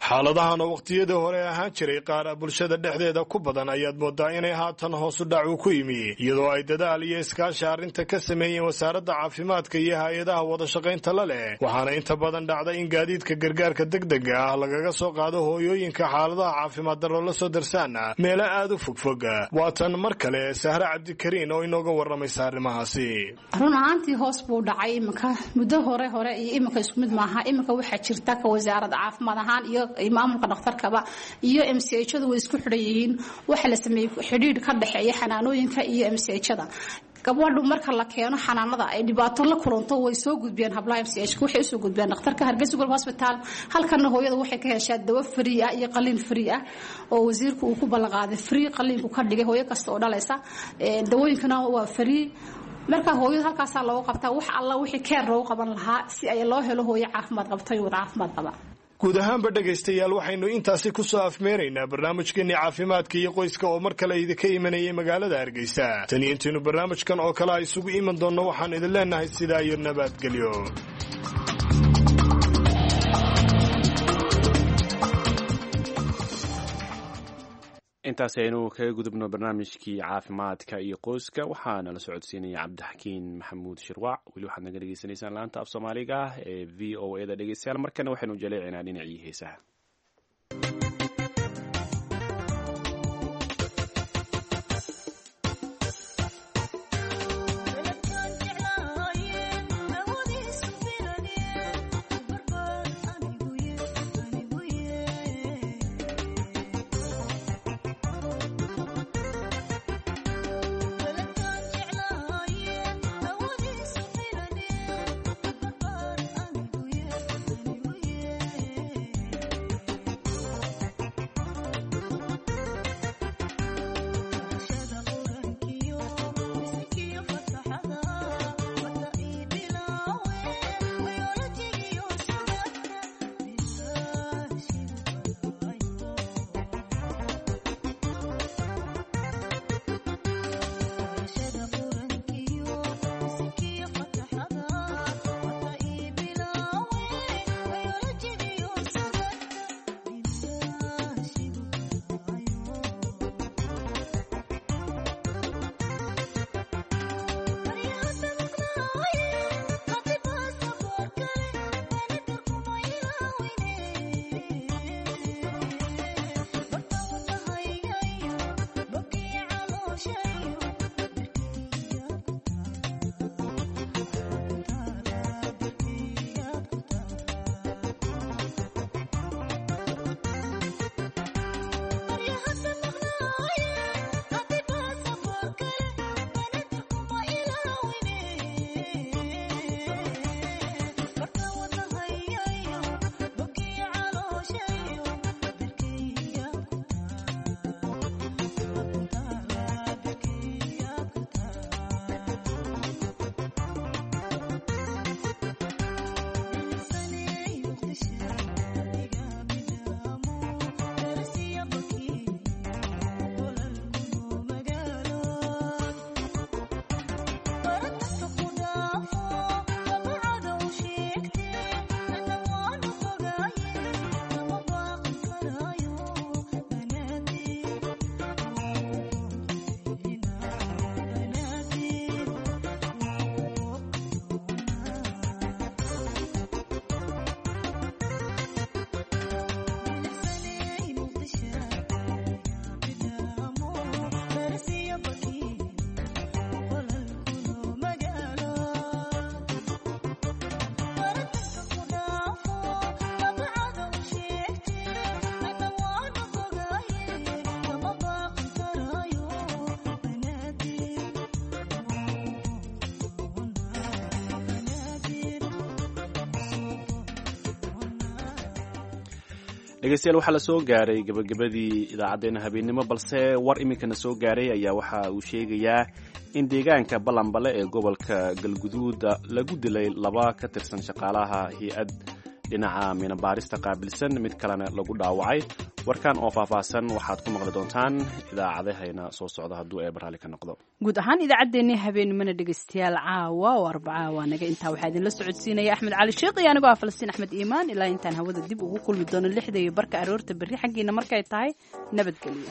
Speaker 3: Xaaladahan oo wakhtiyadii hore ahaan jiray qaar bulshada dhexdeeda ku badan ayaad moodaa inay haatan hoosu dhac uu ku yimi, iyadoo ay dadaal iyo iskaashi arrinta ka sameeyeen wasaaradda caafimaadka iyo hay-adaha wadashaqaynta la leh. Waxaana inta badan dhacda in gaadiidka gargaarka degdega ah lagaga soo qaado hooyooyinka xaaladaha caafimaad darro la soo darsaan meelo aad u fogfog. Waa tan mar kale Sahre Cabdikariin oo inooga warramaysa arrimahaasi.
Speaker 4: Run ahaantii hoos buu dhacay iminka. Muddo hore hore iyo iminka isku mid maaha. Iminka waxaa jirta ka wasaaradda caafimaad ahaan iyo maamulka dhakhtarkaba iyo M C H-adu way isku xidhan yihiin. Waxaa la sameeyey xidhiidh ka dhexeeya xanaanooyinka iyo M C H-ada. Gabadhu marka la keeno xanaanada ay dhibaato la kulanto, way soo gudbiyaan hablaha M C H, waxay usoo gudbiyaan dhakhtarka Hargeysa Global Hospital. Halkana hooyada waxay ka heshaa dawo free ah iyo qalliin free ah oo wasiirku uu ku ballan qaaday, free qalliinku ka dhigay hooyo kasta oo dhalaysa. Dawooyinkana waa free. Marka hooyada halkaasaa loogu qabtaa wax alla wixii keer loogu qaban lahaa si ay loo helo hooyo caafimaad qabta iyo wada caafimaad qaba.
Speaker 3: Guud ahaanba dhegaystayaal, waxaynu intaasi ku soo afmeeraynaa barnaamijkeenii caafimaadka iyo qoyska oo mar kale idinka imanayay magaalada Hargeysa. Tan iyo intaynu barnaamijkan oo kale a isugu iman doonno, waxaan idin leenahay sidaa iyo nabadgelyo.
Speaker 2: Intaasi aynu kaga gudubno barnaamijkii caafimaadka iyo qoyska. Waxaana la socodsiinaya Cabdixakiin Maxamuud Shirwaac. Weli waxaad naga dhegeysanaysaan laanta af Soomaaliga ah ee V O A da. Dhegeystayaal, markana waxaynu jaleecinaa dhinacii heesaha. Dhegeystayaal, waxaa la soo gaaray gabagabadii idaacaddeenna habeennimo, balse war iminkana soo gaaray ayaa waxa uu sheegayaa in deegaanka Balanbale ee gobolka Galguduuda lagu dilay laba ka tirsan shaqaalaha hay-ad dhinaca minabaarista qaabilsan, mid kalena lagu dhaawacay. Warkan oo faahfaahsan waxaad ku maqli doontaan idaacadahayna soo socda hadduu eeba raalli ka noqdo.
Speaker 1: Guud ahaan idaacaddeenii habeenimana dhegeystayaal, caawa oo Arbacaa waa naga intaa. Waxaa idinla socodsiinaya Axmed Cali Sheekh iyo anigoo ah Falastiin Axmed Iimaan. Ilaa intaan hawada dib ugu kulmi doono lixda iyo barka aroorta berri xaggiina markay tahay, nabadgelyo.